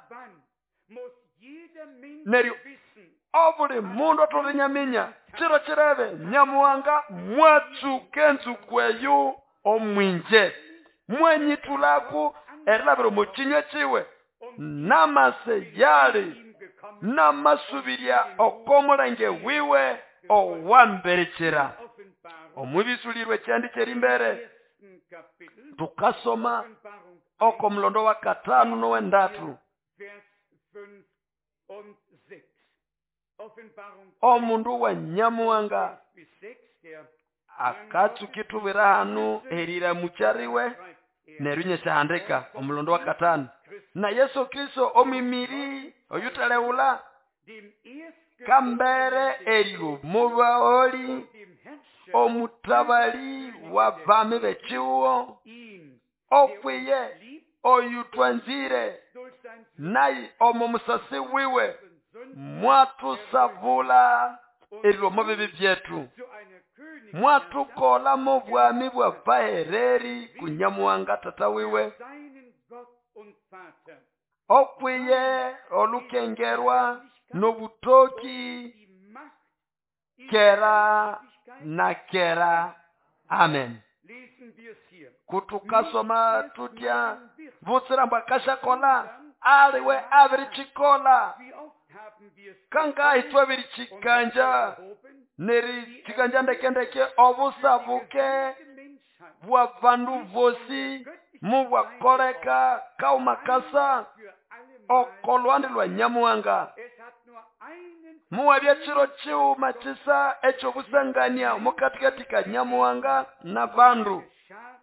neryo obuli mundu atolinyaminya kiro kirebe nyamuhanga mwatsuka enzuko eyo omwinje mwenyitulaku erilabira omukinywa kiwe namase yali namasubiria okomulenge wiwe owamberekera. Omubisulirwe kyandi kyerimbere tukasoma okomulondo wa katano nowendatu omundu wa nyamuhanga akatsukitubwira hanu erira mukyariwe neryo nyesyahandika omulondo wa katano na Yesu Kristo omwimiri oyutalewula kambere eryo mubaoli omutabali wa bami bekiwo okwiye oyutwanzire naye omo musasi wiwe mwatusabula eryo bibi byetu mwatukola mu bwami bwa bahereri kunyamuhanga tata wiwe okwiye olukengerwa nobutoki kera na kera. Amen. Kutukasoma tutya butsira mbwa kashakola Aliwe abirichikola kangahi twabirichikanja nerichikanja ndekendeke obusabuke bwa bandu bosi mubwakoleka kaumakasa okolwandi lwa Nyamuhanga. Muwabya chiro chiuma chisa ekyobusangania omukatikati ka Nyamuhanga na bandu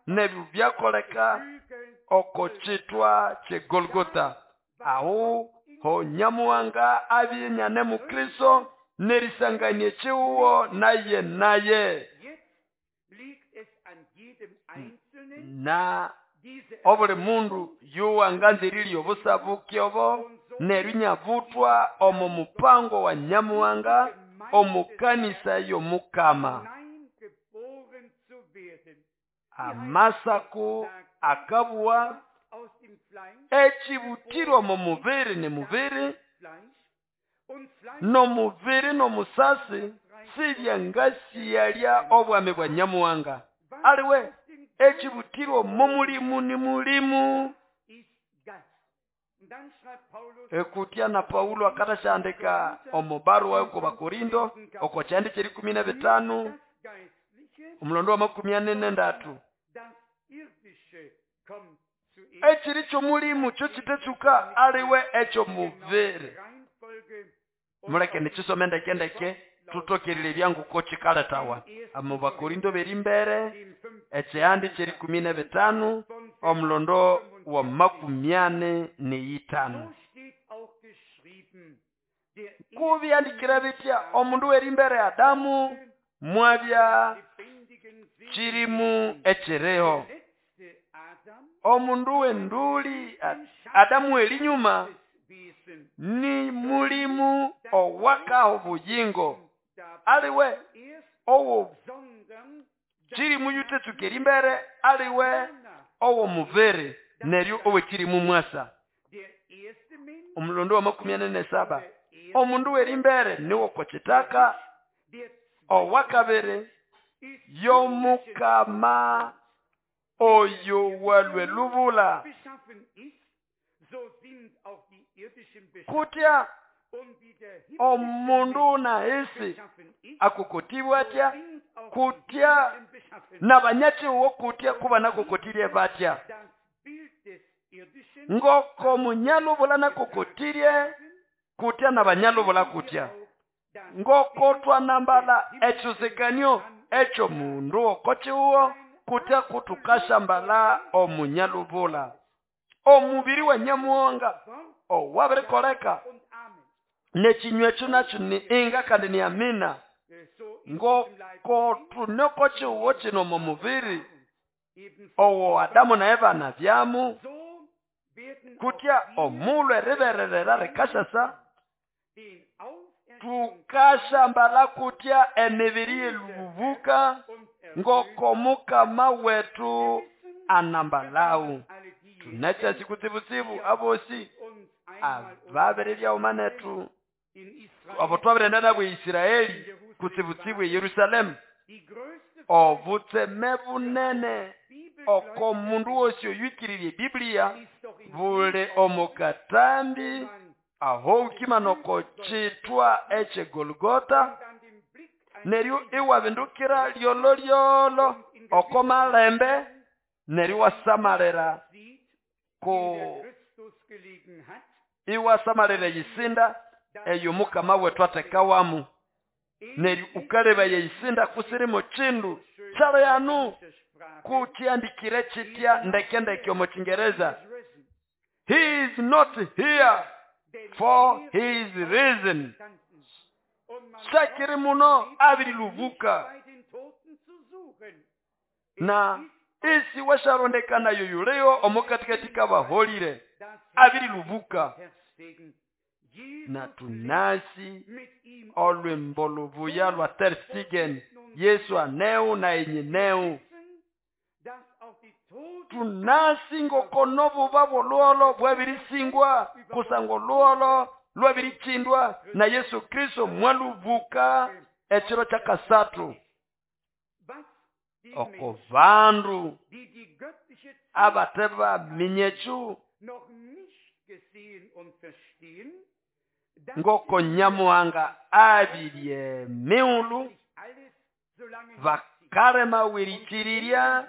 nebyo byakoleka oko chitwa che Golgotha. Aho ho Nyamuhanga abyenyane mu Kristo nerisanganie chiuwo naye naye na obuli mundu yuwanganzirirye obusabuke obo nerinyabutwa omu mupango wa Nyamuhanga omukanisa y'Omukama. Amasaku akabwa echibutirwa mu mubiri ni mubiri no mubiri no musasi sibyangasiyalya obwami bwa Nyamuhanga. Aliwe echibutirwa mu mulimu ni mulimu. Ekutya na Paulo akatashandika omubarua ku Bakorindo oko kyandi kyeri kumi na bitano omulondo wa makumi ane nendatu. Ekiri kyomulimu kyo kitetsuka aliwe ekyo mubiri. Muleke nikisome ndekendeke tutokerere byangu ko kikaletawa. Mu Bakorindo beri mbere ekyandi kyeri kumi na bitano omulondo wa makumi ane neyitano. Kubyandikira bitya omundu weri mbere Adamu mwabya kirimu ekireho. Omundu wenduli Adamu elinyuma ni mulimu owakaho buyingo. Aliwe owo kirimu yutetsuka mbere aliwe owo muvere neryo owe kirimu mwasa. Omulondo wa makumi ane ne saba. Omundu weri mbere niwo kochitaka owakabere yomukama oyo walwe lubula. Kutya omundu na isi akukotibwa atya kutya na banyachiwo kutya kuba nakukotirye batya. Ngoko munyalubula nakukotirye kutya na banyalubula kutya. Ngoko twanambala echuzikanyo echo mundu okochiwo kutya kutukashambala omunyalubula. Omubiri wa Nyamuhanga owabirikoleka nechinywa ekyo nakyo ni inga kandi ni amina. Ngoko tunokochiwo kino mu mubiri owo Adamu na Eva na byamu kutya omulhu eribererera rikashasa tukashambala kutya emibiri yelubuka ngoko Mukama wetu anambalau. Tunacha sikutsibutsibu abosi ababere byaumanetu abo twabirenda nabo Israeli kutsibutsibu Yerusalemu obutseme bunene oko mundu wosi oyikiririe Biblia bule omukatambi aho ukimanoko chitwa eche Golgotha neryo iwabindukira lyolo lyolo oko malembe neryo wasamalira ko iwasamalira yisinda eyo Mukama wetu atekawamu neryo ukaleba yeyisinda kusirimo chindu chalo yanu kuchiandikire chitya ndeke ndeke omu Kiingereza. He is not here for he is risen. Shakiri muno abirilubuka na isi washarondekana yoyuleo omukatikati kabaholire abirilubuka. Na tunasi olwembo lubuya lwa Ter Stegen Yesu aneu na enyineu. Tunasi ngokono buba boluolo bwabirisingwa kusango luolo lwabirichindwa na Yesu Kristo mwalubuka ekiro kyakasatu. Oko bandu abateba minyechu Ngoko Nyamuhanga abirye miulu bakalema werikirirya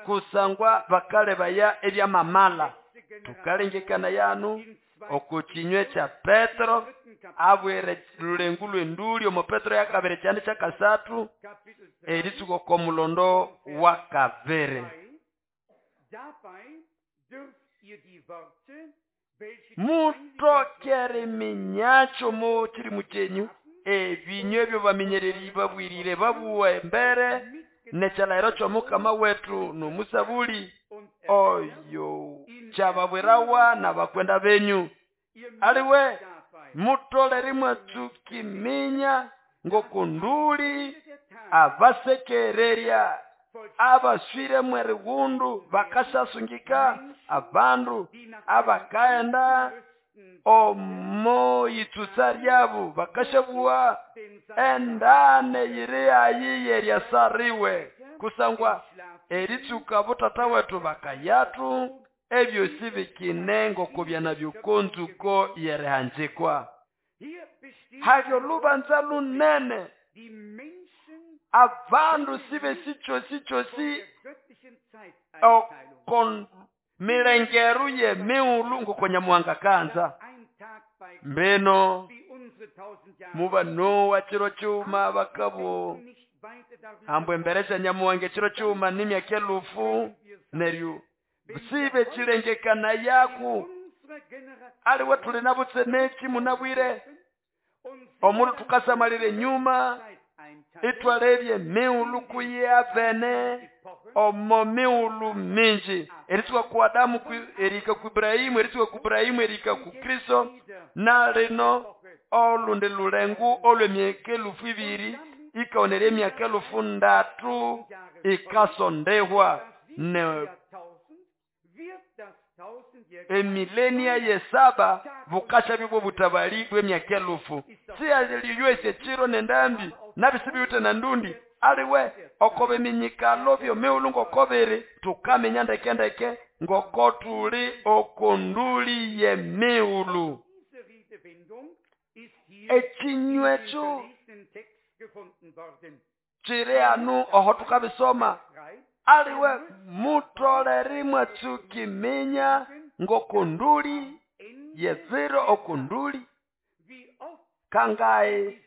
kusangwa bakalebaya ebyamamala. Tukalengekana yanu okukinywe kya Petro abwire lulengu lw'enduli omo Petro yakabiri kyandi kyakasathu eritsuka oko mulondo wa kabiri. Mutokere minyacho mo kirimu kyenyu ebinywe ebyo baminyereri babwirire babuwa embere nekyalahiro ky'omukama wetu n'omusabuli oyo kyababwirawa n'abakwenda benyu. Aliwe mutolere mwatsukiminya ngokunduli abasekererya abaswire mwerighundu bakasasungika abandu abakaenda omo yitsutsa lyabo bakashabuwa endane yiri ayi yeryasariwe kusangwa eritsuka butata wetu bakayatu ebyosi bikine ngokubyana byokonzuko yerihanjikwa. Halyo lubanza lunene abandu sibe sichosi chosi okon milengeru ye miulu ngoko Nyamuhanga kanza. Mbeno muba Noa chiro chuma bakabo ambwe emberesha Nyamuhanga chiro chuma n'emyaka elufu neryo sibe chilengekana yaku aliwe tuli nabutseneki munabwire omundu tukasamalire nyuma itwalebye miulu kuyavene omo miulu minji eritsuka ku Adamu erika ku Ibrahimu eritsuka ku Ibrahimu erika ku Kristo na lino olundi lulengu olw'emyaka elufu ibiri ikaonera emyaka elufu ndatu ikasondehwa ne emilenia yesaba bukasha bibwo butabali bw'emyaka elufu siyaliywese chiro nendambi nabisibiwite na ndundi aliwe okobe minyikalo byomiulu ngokobiri tukamenya ndekendeke ngoko tuli okonduli yemiulu. Ekinywecho chiri anu oho tukabisoma aliwe mutolere mwatsukiminya ngokonduli yeziro okonduli kangae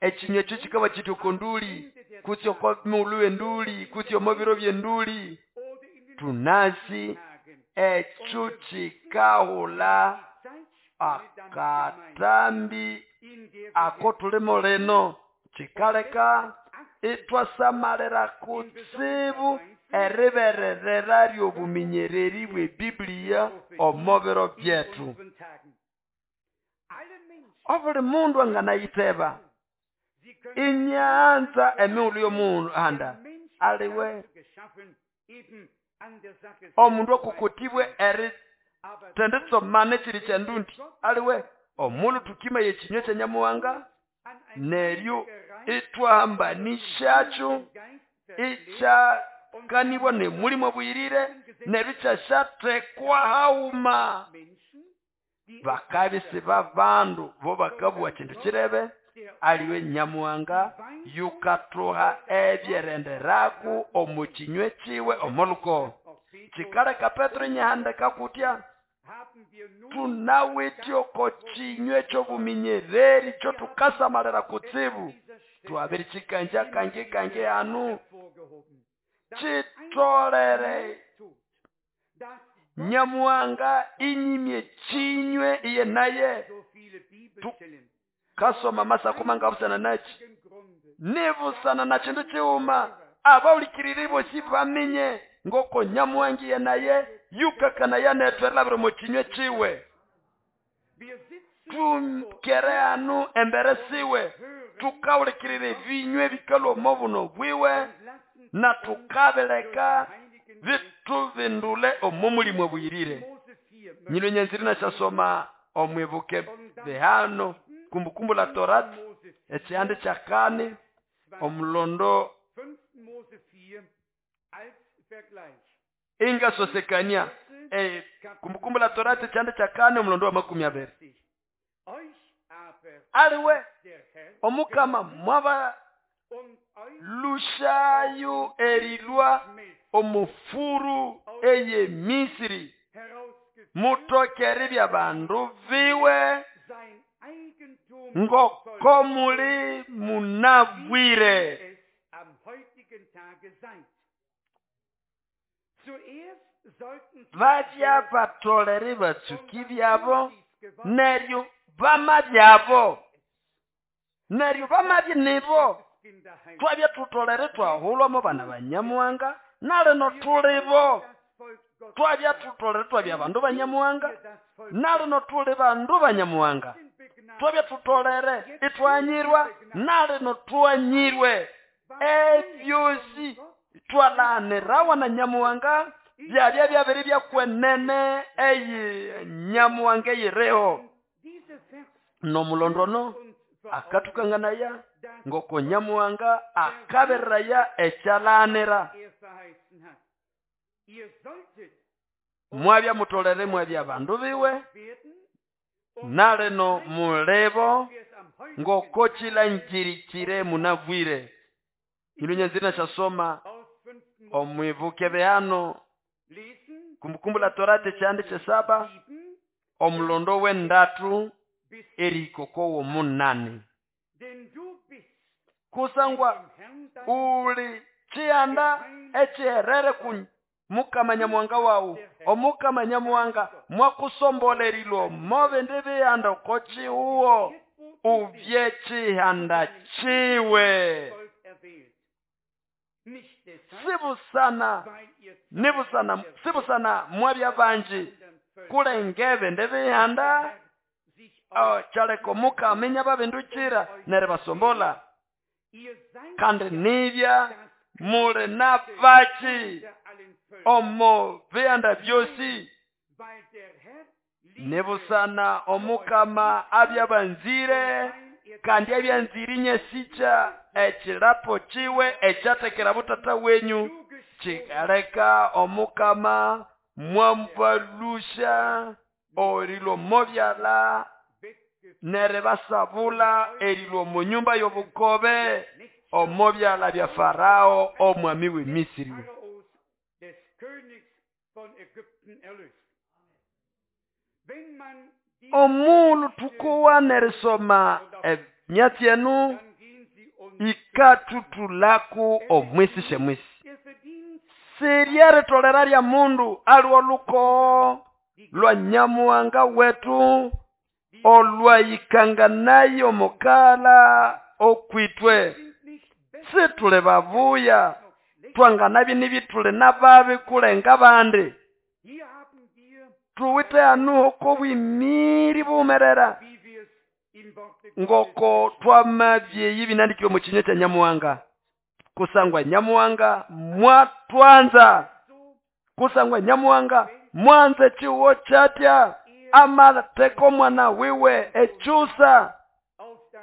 ekinywecho kikaba kiti okonduli kutsi oko miulu enduli kutsi omo biro byenduli tunasi ekyo kikahula akatambi ako tulimo lino kikaleka itwasamalira kutsibu eribererera ly'obuminyereri bw'ebiblia omo biro byetu. Obuli mundu anganayiteba inyanza emiulu y'omuhanda aliwe omundu okukutibwe eri tenditsomane chiri kyandundi aliwe omulu tukima yekinywe kya Nyamuhanga neryo itwahambanishacho ikyakanibwa nemulimo bwirire neryo ikyashathekwa hauma. Bakabisi babandu bo bakabwa kindu kirebe aliwe Nyamuhanga yukathuha ebyerenderaku omu kinywe kiwe omuluko. Kikaleka Petro nyahandeka kutya tunawithe oko kinywe ky'obuminyereri kyo tukasamalira kutsibu twabiri kikanja kange kange anu kitolere Nyamuhanga inyimye kinywe iye naye tukasoma masakuma ngabusana nachi nibusana na kindu kiwuma abawulikiriri bosi bamenye ngoko Nyamuhanga iye naye yukakana yanetwerabire mu kinywe kiwe. Tukere anu embere siwe tukawulikirire binywe bikalwa omo buno bwiwe na tukabeleka bitubindule omo mulimo bwirire. Nyilo nyanziri nashasoma omwibuke bihano Kumbukumbu la Torati ekyihande kya kane omulondo Ingasosekania e, Kumbukumbu la Torati chande cha kane omulondo wa makumi abiri. Aliwe omukama mwaba lushayo erilwa omufuru eye Misri mutokeri bya bandu biwe ngoko muli munabwire. Babya batolere batsuki byabo neryo bama byabo neryo bamabye nibo twabya tutolere twahulwamo bana banyamuhanga nalino tulibo twabya tutolere twabya bandu banyamuhanga nalino tuli bandu banyamuhanga twabya tutolere itwanyirwa nalino twanyirwe ebyosi twalanirawa na nyamuhanga byabya byabiri byakwenene eyi nyamuhanga eyireho nomulondono akatukanganaya ngoko nyamuhanga akabereraya ekyalanira mwabya mutolere mwabya bandu biwe nalino mulebo ngoko chilanjirikire munabwire. Ilunyanzira shasoma omwibuke behano Kumbukumbu la Torati chande cha saba omulondo wendatu erikoko womunane. Kusangwa uli chianda echiherere ku mukama nyamuhanga wawu omukama nyamuhanga mwakusombolerilwo move ndibiyanda kochiuwo ubye chihanda chiwe. Sibusana nibusana sibusana mwabya banji kulengebe ndibiyanda oh, chaleko mukaminya babinduchira nere basombola kandi nibya mule nabachi omo biyanda byosi nibusana omukama abyabanzire kandi abyanzirinye sicha echilapo chiwe echatekera butata wenyu chikaleka omukama mwambalusha orilo mobyala nere basabula erilo munyumba yobukobe omobyala bya Farao omwami we Misri. Omulu tukowa nerisoma emyatsi enu ikatutulaku omwisi shemwisi siryeri lya mundu aliwo luko lwa nyamuhanga wetu olwayikanganayo mukala okwitwe situle babuya twanganabi nibitule nababi kulenga bandi tuwite anuho kobwimiri bumerera ngoko twamabye ibinandikiwe mu kinywa kya nyamuhanga kusangwa nyamuhanga mwatwanza kusangwa nyamuhanga mwanze chiwo chatya amateko mwana wiwe echusa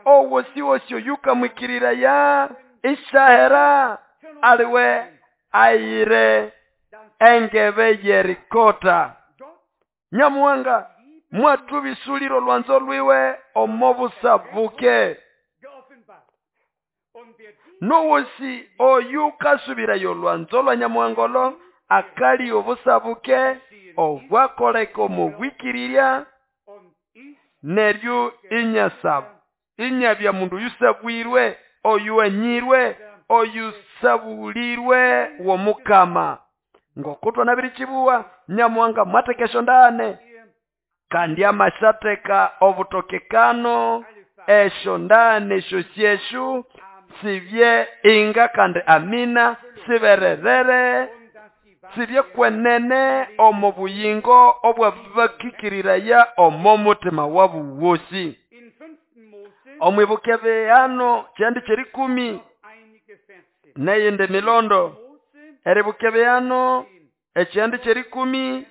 owosiwosyo yukamwikirira ya ishahera aliwe ayire engebe yerikota nyamuhanga mwatubisuliro lwanzo lwiwe omobusabuke nowosi oyukasubirayo lwanzo lwa nyamuhangolo akali obusabuke obwakoleka omubwikirirya neryo inyasabu inyabya mundu yusabwirwe oyuanyirwe oyusabulirwe womukama ngokutwa nabiri chibuwa nyamuhanga mwatekesho ndane kandi amashateka obutokekano esho ndane esho syeshu sibye inga kandi amina sibererere sibye kwenene omo buyingo obwabakikirira omo mutima wabu wosi. Omwibuke bihano kyandi kyerikumi neyindi milondo eribuke bihano ekyandi kyerikumi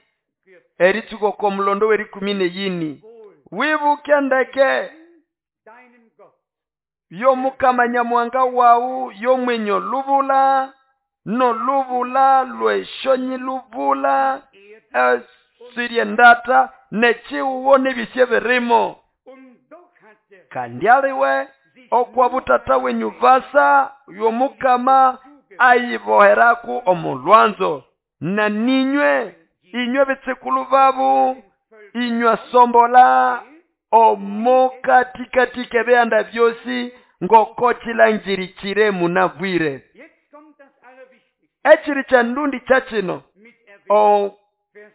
eritsuko komulondo werikumi neyini wibuke ndeke yomukama nyamuhanga wawu yomwenyo lubula Nolubula lweshonyilubula esirye ndata nechiwo nebisye birimo. Kandi aliwe okwa butata wenyu basa yomukama ayiboheraku omulwanzo na ninywe inywe bitsikulu babu inywe sombola omokatikati kebihanda byosi ngoko chilangirichire munabwire. Echiri cha ndundi cha chino o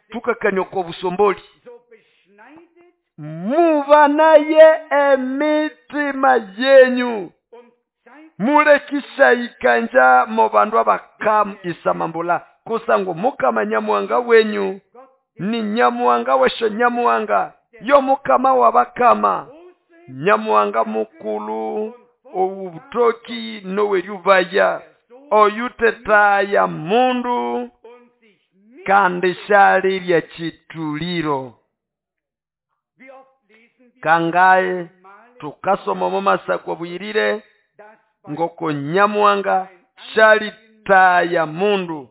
tukakania kwa busomboli mubanaye emitima yenyu mulekisha ikanja mo bandu abakam isamambula kusangu mukama nyamuhanga wenyu ni nyamuhanga wesho nyamuhanga yo mukama wabakama nyamuhanga mukulu obutoki noweryubaya oyutetaya mundu kandi shalirya chituliro. Kangaye tukasoma mu masakwa buyirire ngoko nyamuhanga shalitaya mundu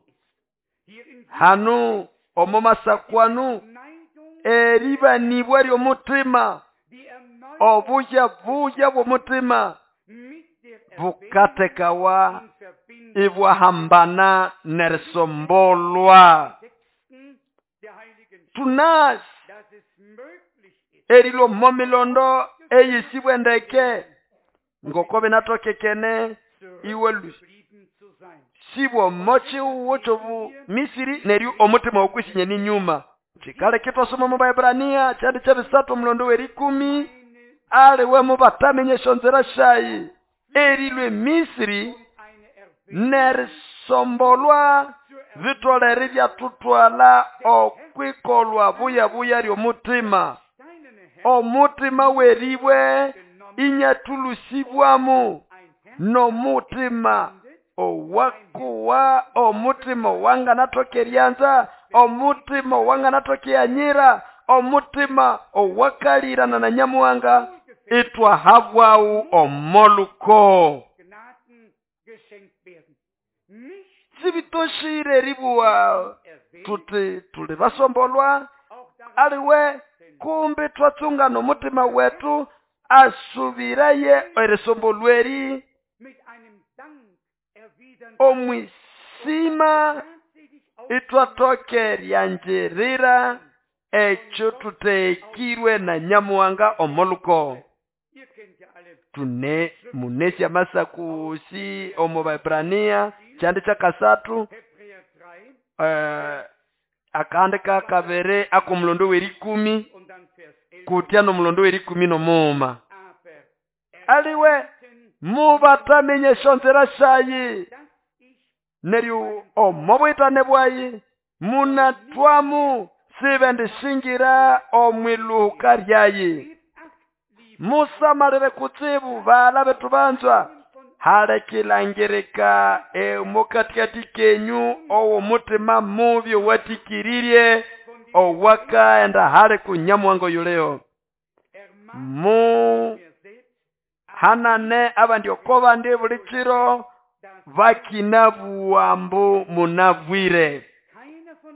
hanu omo masakwanu eribanibwa lyomutima obuya buya bw'omutima bukatekawa ibwahambana nerisombolwa. Tunasi erilwo momilondo eyisibwendeke ngoko binatokekene iwe sibwo mochi uwochobu Misiri neryo omutima okwisinye ninyuma. Chikale kitwasoma mu Baebrania kyandi kyabisatu omulondo werikumi aliwe mubatamenye shonzera shayi erilwe Misiri nerisombolwa vitolere byatutwala okwikolwa buya buya lyomutima omutima weribwe inyatulusibwamu nomutima owakuwa omutima wanganatokeryanza omutima wanganatokeyanyira omutima owakalirana na nyamuhanga itwahabwawu omoluko. Sibitoshire ribuwa tuti tuli basombolwa aliwe kumbi twatsunga nomutima wetu asubiraye erisombolweri omwisima itwatokeryanjirira ekyo tutekirwe na nyamuhanga omoluko. Tune munesya masakusi omu Baebrania kyandi kyakasathu eh, akandi kakabere akomulondo werikumi kutya nomulondo werikumi nomuuma aliwe mubatamenye shonzera shayi neryo omobwitane bwayi munatwamu sibendishingira omwiluhuka lyayi. Musamalire kutsibu bala betu banzwa halekilangirika emukatikati kenyu owo mutima mubi owatikiririe owakaenda hale kunyamuhango yuleo. Mu hanane abandi okobandi buli kiro bakinabuwambu munabwire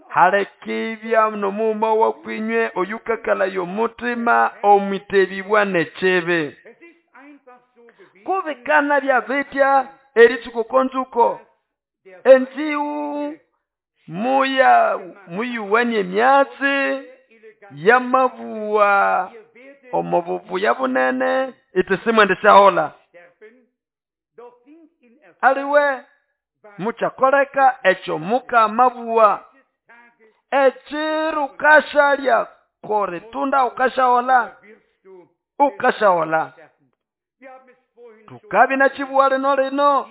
halekibya nomuuma wakwinywe oyukakala yomutima omwitebibwa nekyebe. Kubikana bya bitya eritsuko konzuko enziu muya muyuwanie emyatsi yamabuwa omububuya bunene itisimwendesyahola aliwe muchakoleka ekyo mukamabuwa ekiro ukashalya koritunda ukashahola ukashahola. Tukabi na chibuwa lino lino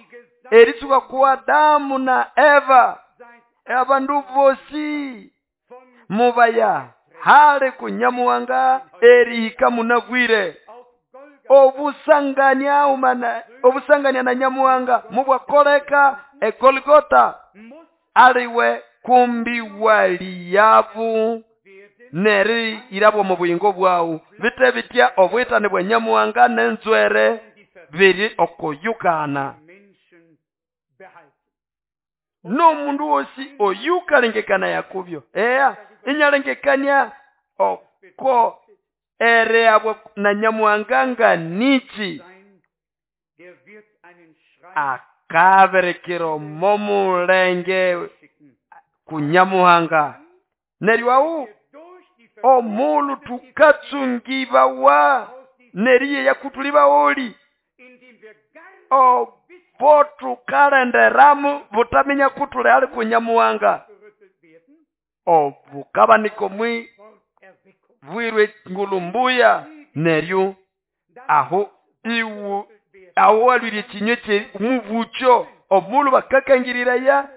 eritsuka ku Adamu na Eva abandu bosi mubaya hali kunyamuhanga erihika munabwire obusangania umana obusangania na nyamuhanga mubwakoleka eGolgota aliwe kumbi waliyabu neri irabwo mu buyingo bwawu bite bitya obwitane bwa nyamuhanga nenzwere biri okuyukana. N'omundu wosi oyukalengekana yakubyo eya inyalengekania oko ereabwa na Nyamuhanga nga nichi akaberekera omo mulenge ku Nyamuhanga. Neryo awu omulu tukatsungibawa neriye yakutulibaoli obo tukalenderamu butaminya kutule ali ku Nyamuhanga obukabanika omwi bwirwe ngulumbuya. Neryo aho iwu aho walwire ekinywe kye mubucho omulu bakakangirira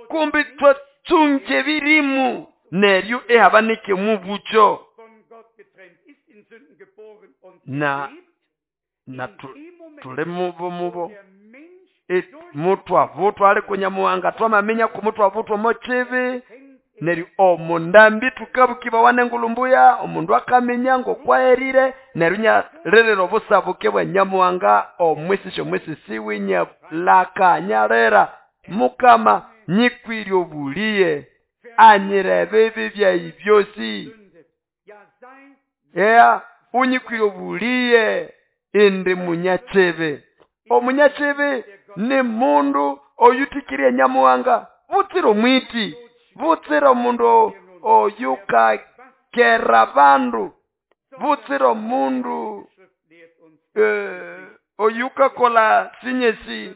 kumbi twatsunge ebirimu neryo ehabanike mubucho na na tuli mubo mubo mutwavutwa ali ku Nyamuhanga twamaminya kumutwavutwa mochibi. Neryo omundambi tukabukibawa nengulumbuya omundu akaminya ngokwaherire neryo nyalirira obusabuke bwa Nyamuhanga omwisisi omwisisi winyalaka nyalira Mukama nyikwirye obuliye anyire ebibi byayi byosi ea unyikwirye obuliye indi munyachibi. Omunyachibi ni mundu oyutikirye Nyamuhanga butsira omwiti butsira omundu oyukakera bandu butsira omundu eh, oyukakola sinyesi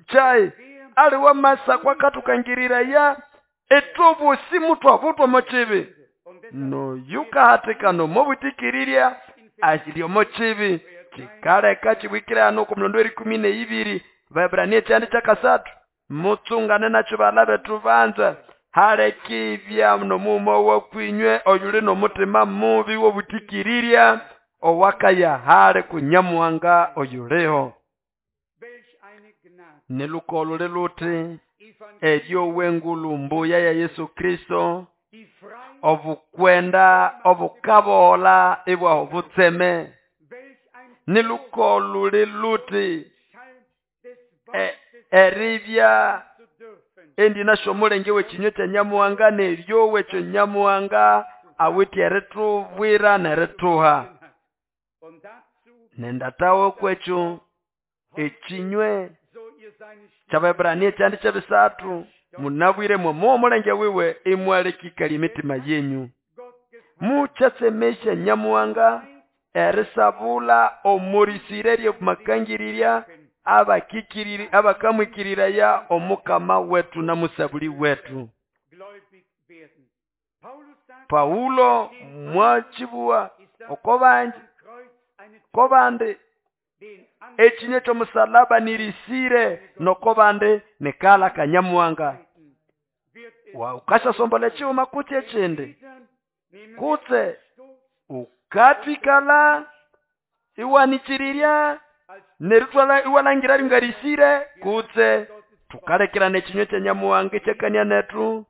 chai ali wamasa kwakatukangirira ya etobosi mutwavutwa mochibi noyukahatikana omobutikiriria ashiri omochibi chikaleka chibwikirano oku mulondo erikumi neibiri Waebrania ekyandi kyakasathu mutsungane nakyo bala bethu banza halekibya nomuuma wakwinywe oyuli n'omutima mubi w'obutikiriria owakaya hali ku Nyamuhanga oyuliho. Nelukolo luti eryo wengulu mbuya ya Yesu Kristo obukwenda obukabola ibwaho butseme. Nelukolo luti eribya endi nasho omulenge w'ekinywe kya Nyamuhanga neryo w'ekyo Nyamuhanga awithe eritubwira nerituha. Nendatawo kwekyo ekinywe ky'Abaebrania ekyandi ky'ebisathu munabwire mwomo omulenge wiwe imwalekikali emitima yenyu mukyasemesya Nyamuhanga erisabula omurisire ry'omukangirirya abakikiriri abakamwikiriraya omukama wetu na musabuli wetu. Paulo mwachibuwa okobanji kobande ekinye ky'omusalaba nirisire nokobande nekala kanyamuhanga wa ukashasombola ekyuma kutse ekindi kutse ukatikala iwanichirirya nerutwala iwalangira ringarisire kutse tukalekera ekinywe kya Nyamuhanga ekyakania netu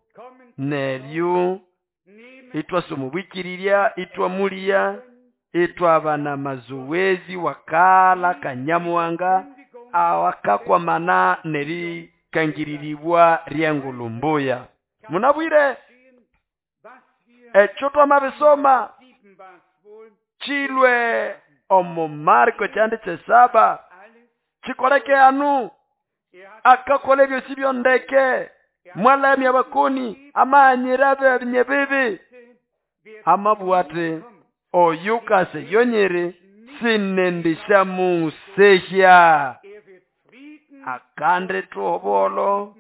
neryo itwasomubwikirirya itwamuliya itwabana mazoezi wakala kanyamuhanga awakakwamana nerikangiriribwa ryengulumbuya. Munabwire ekyo twamabisoma chilwe omu Marko kyandi kyesaba chikoleke anu akakola ebyosi byondeke mwalamya abakoni amanyira benye bibi amabwate oyukase yonyere sinendisha musehya akande tuhobolo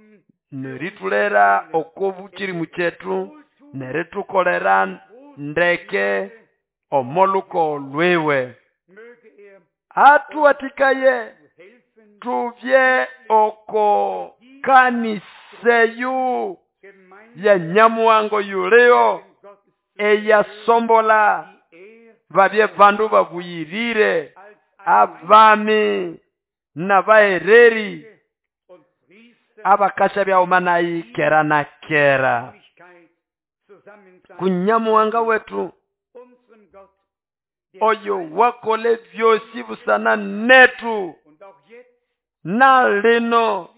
neritulera okobukiri mukyetu neritukolera ndeke omoluko lwewe atuwatikaye tuvye oko kaniseyu ya Nyamuhango yuleo eyasombola babye bandu babuyirire abami n'abahereri abakasha byaumanayi kera na kera. Kunyamuhanga wetu oyo wakole byosi busana netu Na lino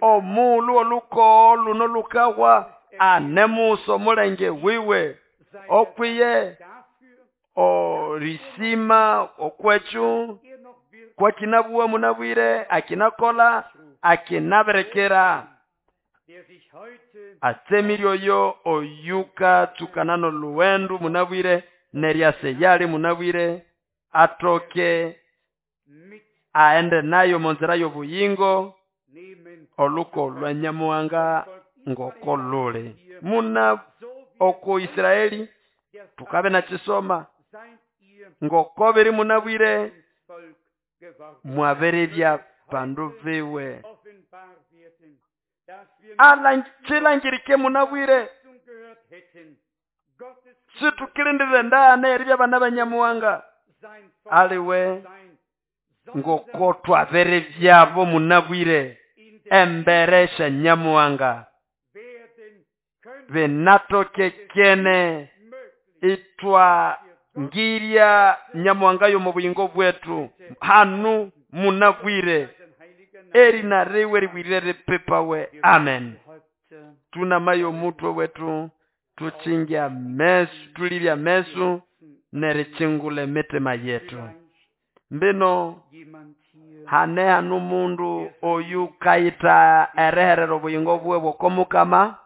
omulu olukogo luno lukahwa anemusa omulenge wiwe okwiye orisima okwekyo kwakinabuwa munabwire akinakola akinabirikira atsemire oyo oyuka tsukana noluwendu munabwire neryase yali munabwire atoke aende nayo monzira y'obuyingo oluko lwa Nyamuhanga ngoko luli muna oko Israeli tukabe nakisoma ngoko biri munabwire mwabirebya bandu biwe chilangirike munabwire situkilindire ndana eribya bana ba Nyamuhanga aliwe ngoko twabirebyabo munabwire embere sya Nyamuhanga binatokekene itwa ngirya Nyamuhanga y'omu buyingo bwetu hanu munabwire erina riwe ribwirire ripipawe. Amen. Tunamayo omutwe wetu tuchingya mesu tulibya mesu nerichingula emitima yetu mbino hane hanu mundu oyu kayita eriherera obuyingo bwe bw'okomukama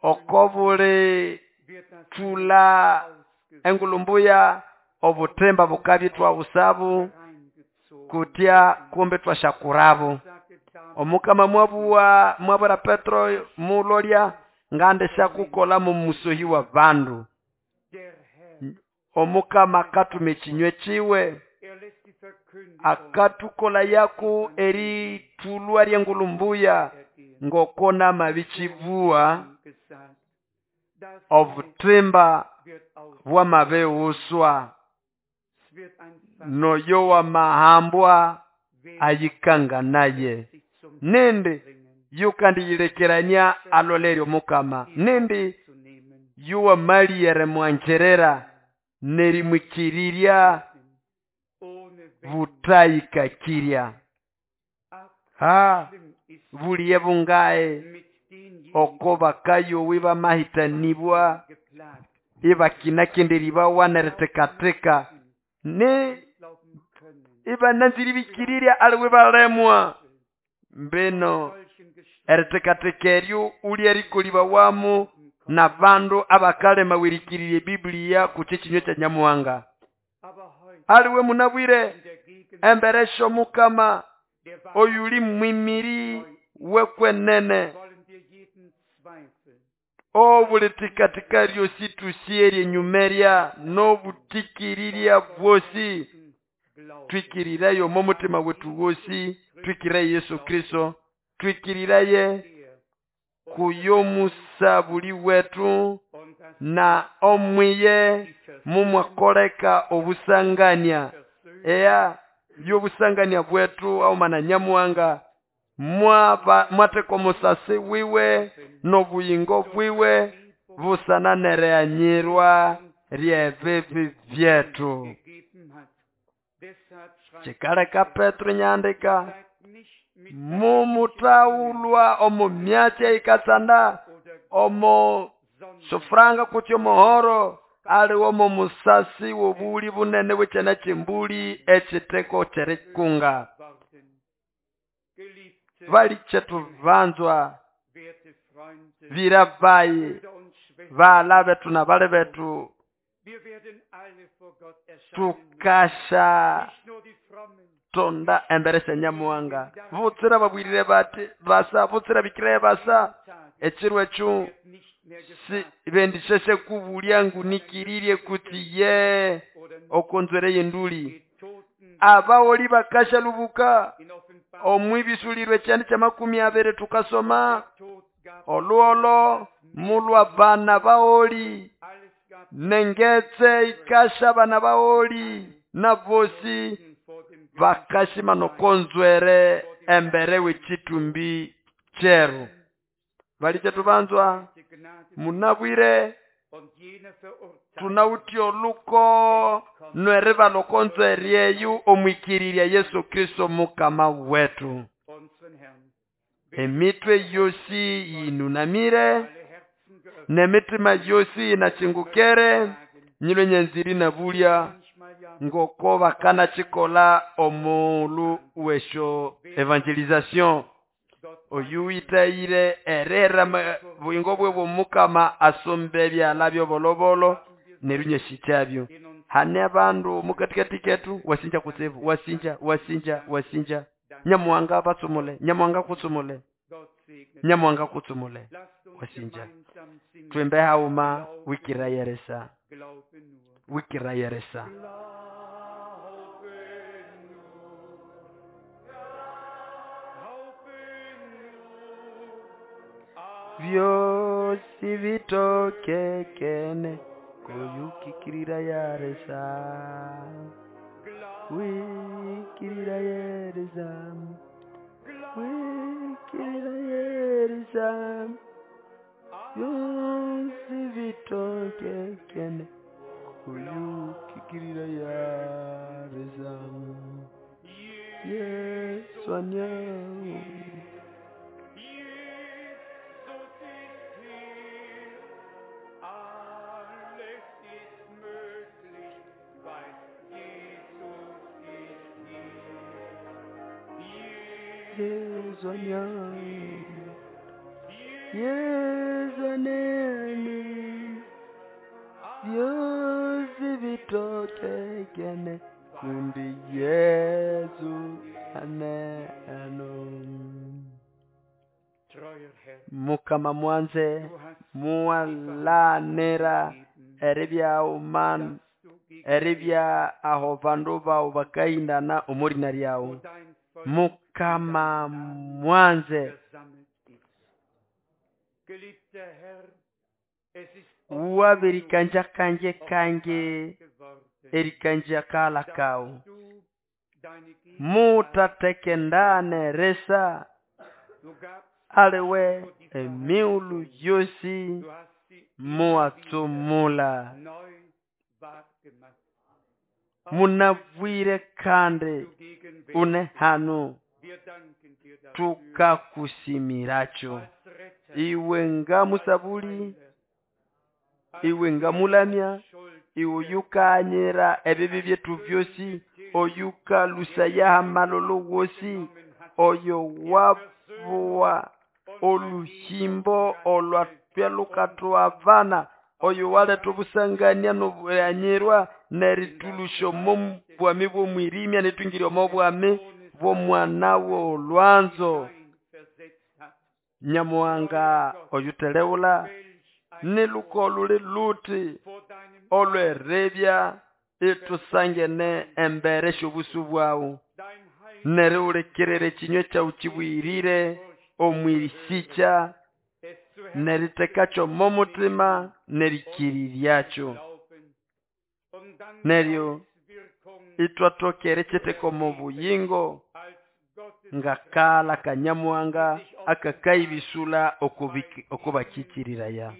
okobuli thula engulumbuya obutemba bukabya twabusabu kutya kumbe twashakurabo omukama mwabuwa mwabura Petro mulolya ngande shakukola mu musohi wa bandu omukama akatuma ekinywe kiwe akatukola yaku eritulwa ry'engulumbuya ngokona mabichibuwa obutimba bwamabeuswa noyo wamahambwa ayikanga naye nindi yukandiyilekerania aloleryo mukama nindi yuwamaliyere mwanjerera nerimwikirirya butayikakirya ha buliye bungae oko bakayowi bamahitanibwa ibakinakenderibawa neritekatheka ne ibananziribikirira aliwe balemwa mbino eritekatheka eryo ulya erikolibawamu na bandu abakalema wirikirire Biblia kuche kinywe kya Nyamuhanga aliwe munabwire emberesho mukama oyuli mwimiri wekwenene obulitikatika ryosi tusierye enyumerya n'obutikiriria bwosi twikirirayo omo mutima wetu wosi twikiriraye Yesu Kristo twikiriraye kuyomusabuli wetu na omwiye mumwakoleka obusangania eya y'obusangania bwetu aumana Nyamuhanga mwateka omusasi wiwe n'obuyingo bwiwe busana nereanyirwa ryebibi byetu kikaleka Petro nyandika mumutawulwa omu myatsi eyikatsanda omo sofuranga kutya omuhoro aliwo omo musasi w'obuli bunene bw'ekyana ky'embuli ekiteko ky'erikunga balikyetu banzwa bira bayi bala betu na bale betu tukasha tonda embere Nyamuhanga butsira babwirire bati basa butsira bikire basa ekiro ekyo si bendisheshe kubulya ngunikiririe kuti ye okonzwere yenduli abaoli bakasha lubuka omwibisulirwe kyandi kya makumi abiri tukasoma oluolo mulwa bana baoli nengetse ikasha bana baoli na bosi bakashima nokonzwere embere w'ekitumbi kyeru balikyetu banzwa munabwire Tunawithe oluko nweribala oko nzweri eyo omwikirirya Yesu Kristo Mukama wetu. Emitwe yosi yinunamire nemitima yosi yinachingukere nyilwe nyanziri nabulya ngoko bakanachikola omuulu wesyo evangelization. Oyu witayire erera buyingo bwe bw'omukama asombe ebyala byobolobolo neryo nyashikyabyo. Hane abandu mukatikati ketu wasinja kutsibu wasinja wasinja wasinja Nyamuhanga batsumule Nyamuhanga kutsumule Nyamuhanga kutsumule wasinja. Twimbe hauma wikirayeresa wikirayeresa. Byosi bitokekene kuyukikirira yaresa wikirira yeresa wikirira yeresa byosi bitokekene kuyukikirira yaresa Yesu anyao. Yesu anyao, Yesu anene, byosi bitokekene kundi Yesu aneno. Mukama mwanze muwalanira eribya uman eribya aho bandu bawu bakahindana omurina lyawu. Mukama mwanze wabirikanja kanje kange erikanja kala kawu mutatekendane resa aliwe emiulu yosi muwatsumula munabwire kandi une hanu tukakusimiracho iwe nga musabuli iwe nga mulamya iwe yukanyira ebibi byetu byosi oyukalusayaha malolo wosi oyo wabuwa oluhimbo olwatwelukatwavana oyo waletha obusangania nobuyanyirwa neritulusha omo bwami bw'omwirimya netwingirya omo bwami bw'omwana w'olwanzo. Nyamuhanga oyuteleula niluko luli luti olwerebya itusangene embere syobusu bwawu neriwulikirira ekinywa kyawu kibwirire omwirisikya neritekakyo momutima nerikiriryakyo neryo itwatokere kyeteka omu buyingo ngakala kanyamuhanga akakaibisula okubakikiriraya.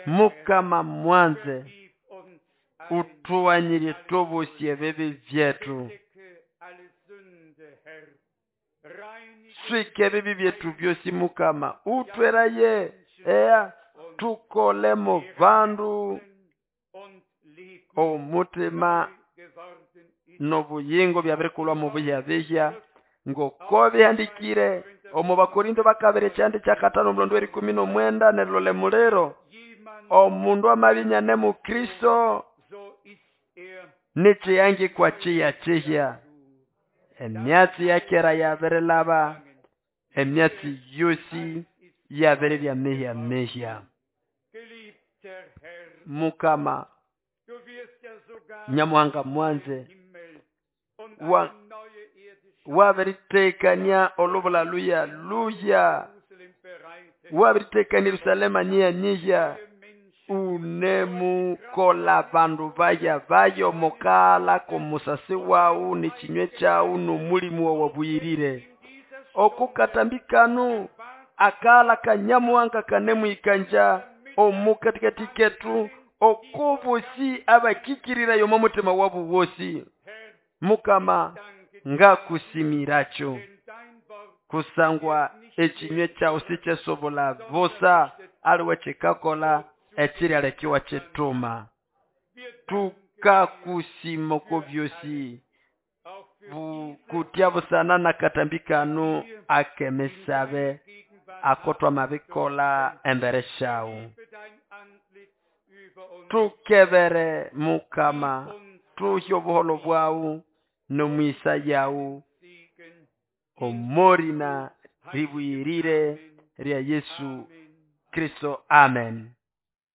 Mukama mwanze utuwanyirye tobosi ebibi byetu swike ebibi byetu byosi Mukama utweraye ea tukolemo bandu omutima nobuyingo byabirikulwa mu buyabihya ngoko bihandikire omu Bakorinto bakabiri ekyandi kyakatano omulondo w'erikumi n'omwenda nerilole muliro omundu amabinyane mu Kristo nikyiyangikwa kyiyakihya emyatsi yakera yabirilaba emyatsi yosi yabiribya mihya mihya. Mukama Nyamuhanga mwanze wa wabiritekania olubula luya luya wabiritekania Yerusalema nyiya nyiya unemukola bandu baya bayo mukala kumusasi wawu nekinywe kyawu nomulimu wawabuyirire okukatambikanu Akala kanyamuhanga kanemwikanja omukatikati ketu okobosi abakikirirayo omo mutima wabu wosi. Mukama ngakusimiracho kusangwa ekinywe kyawu sikyesobola busa aliwe kikakola ekiryalekiwa kituma. Tukakusima oko byosi kutya busana nakatambi kano akemisabe ako twamabikola embere syawu. Tukebere mukama tuhe obuholo bwawu nomwisa yawu omorina ribwirire rya Yesu Kristo, amen.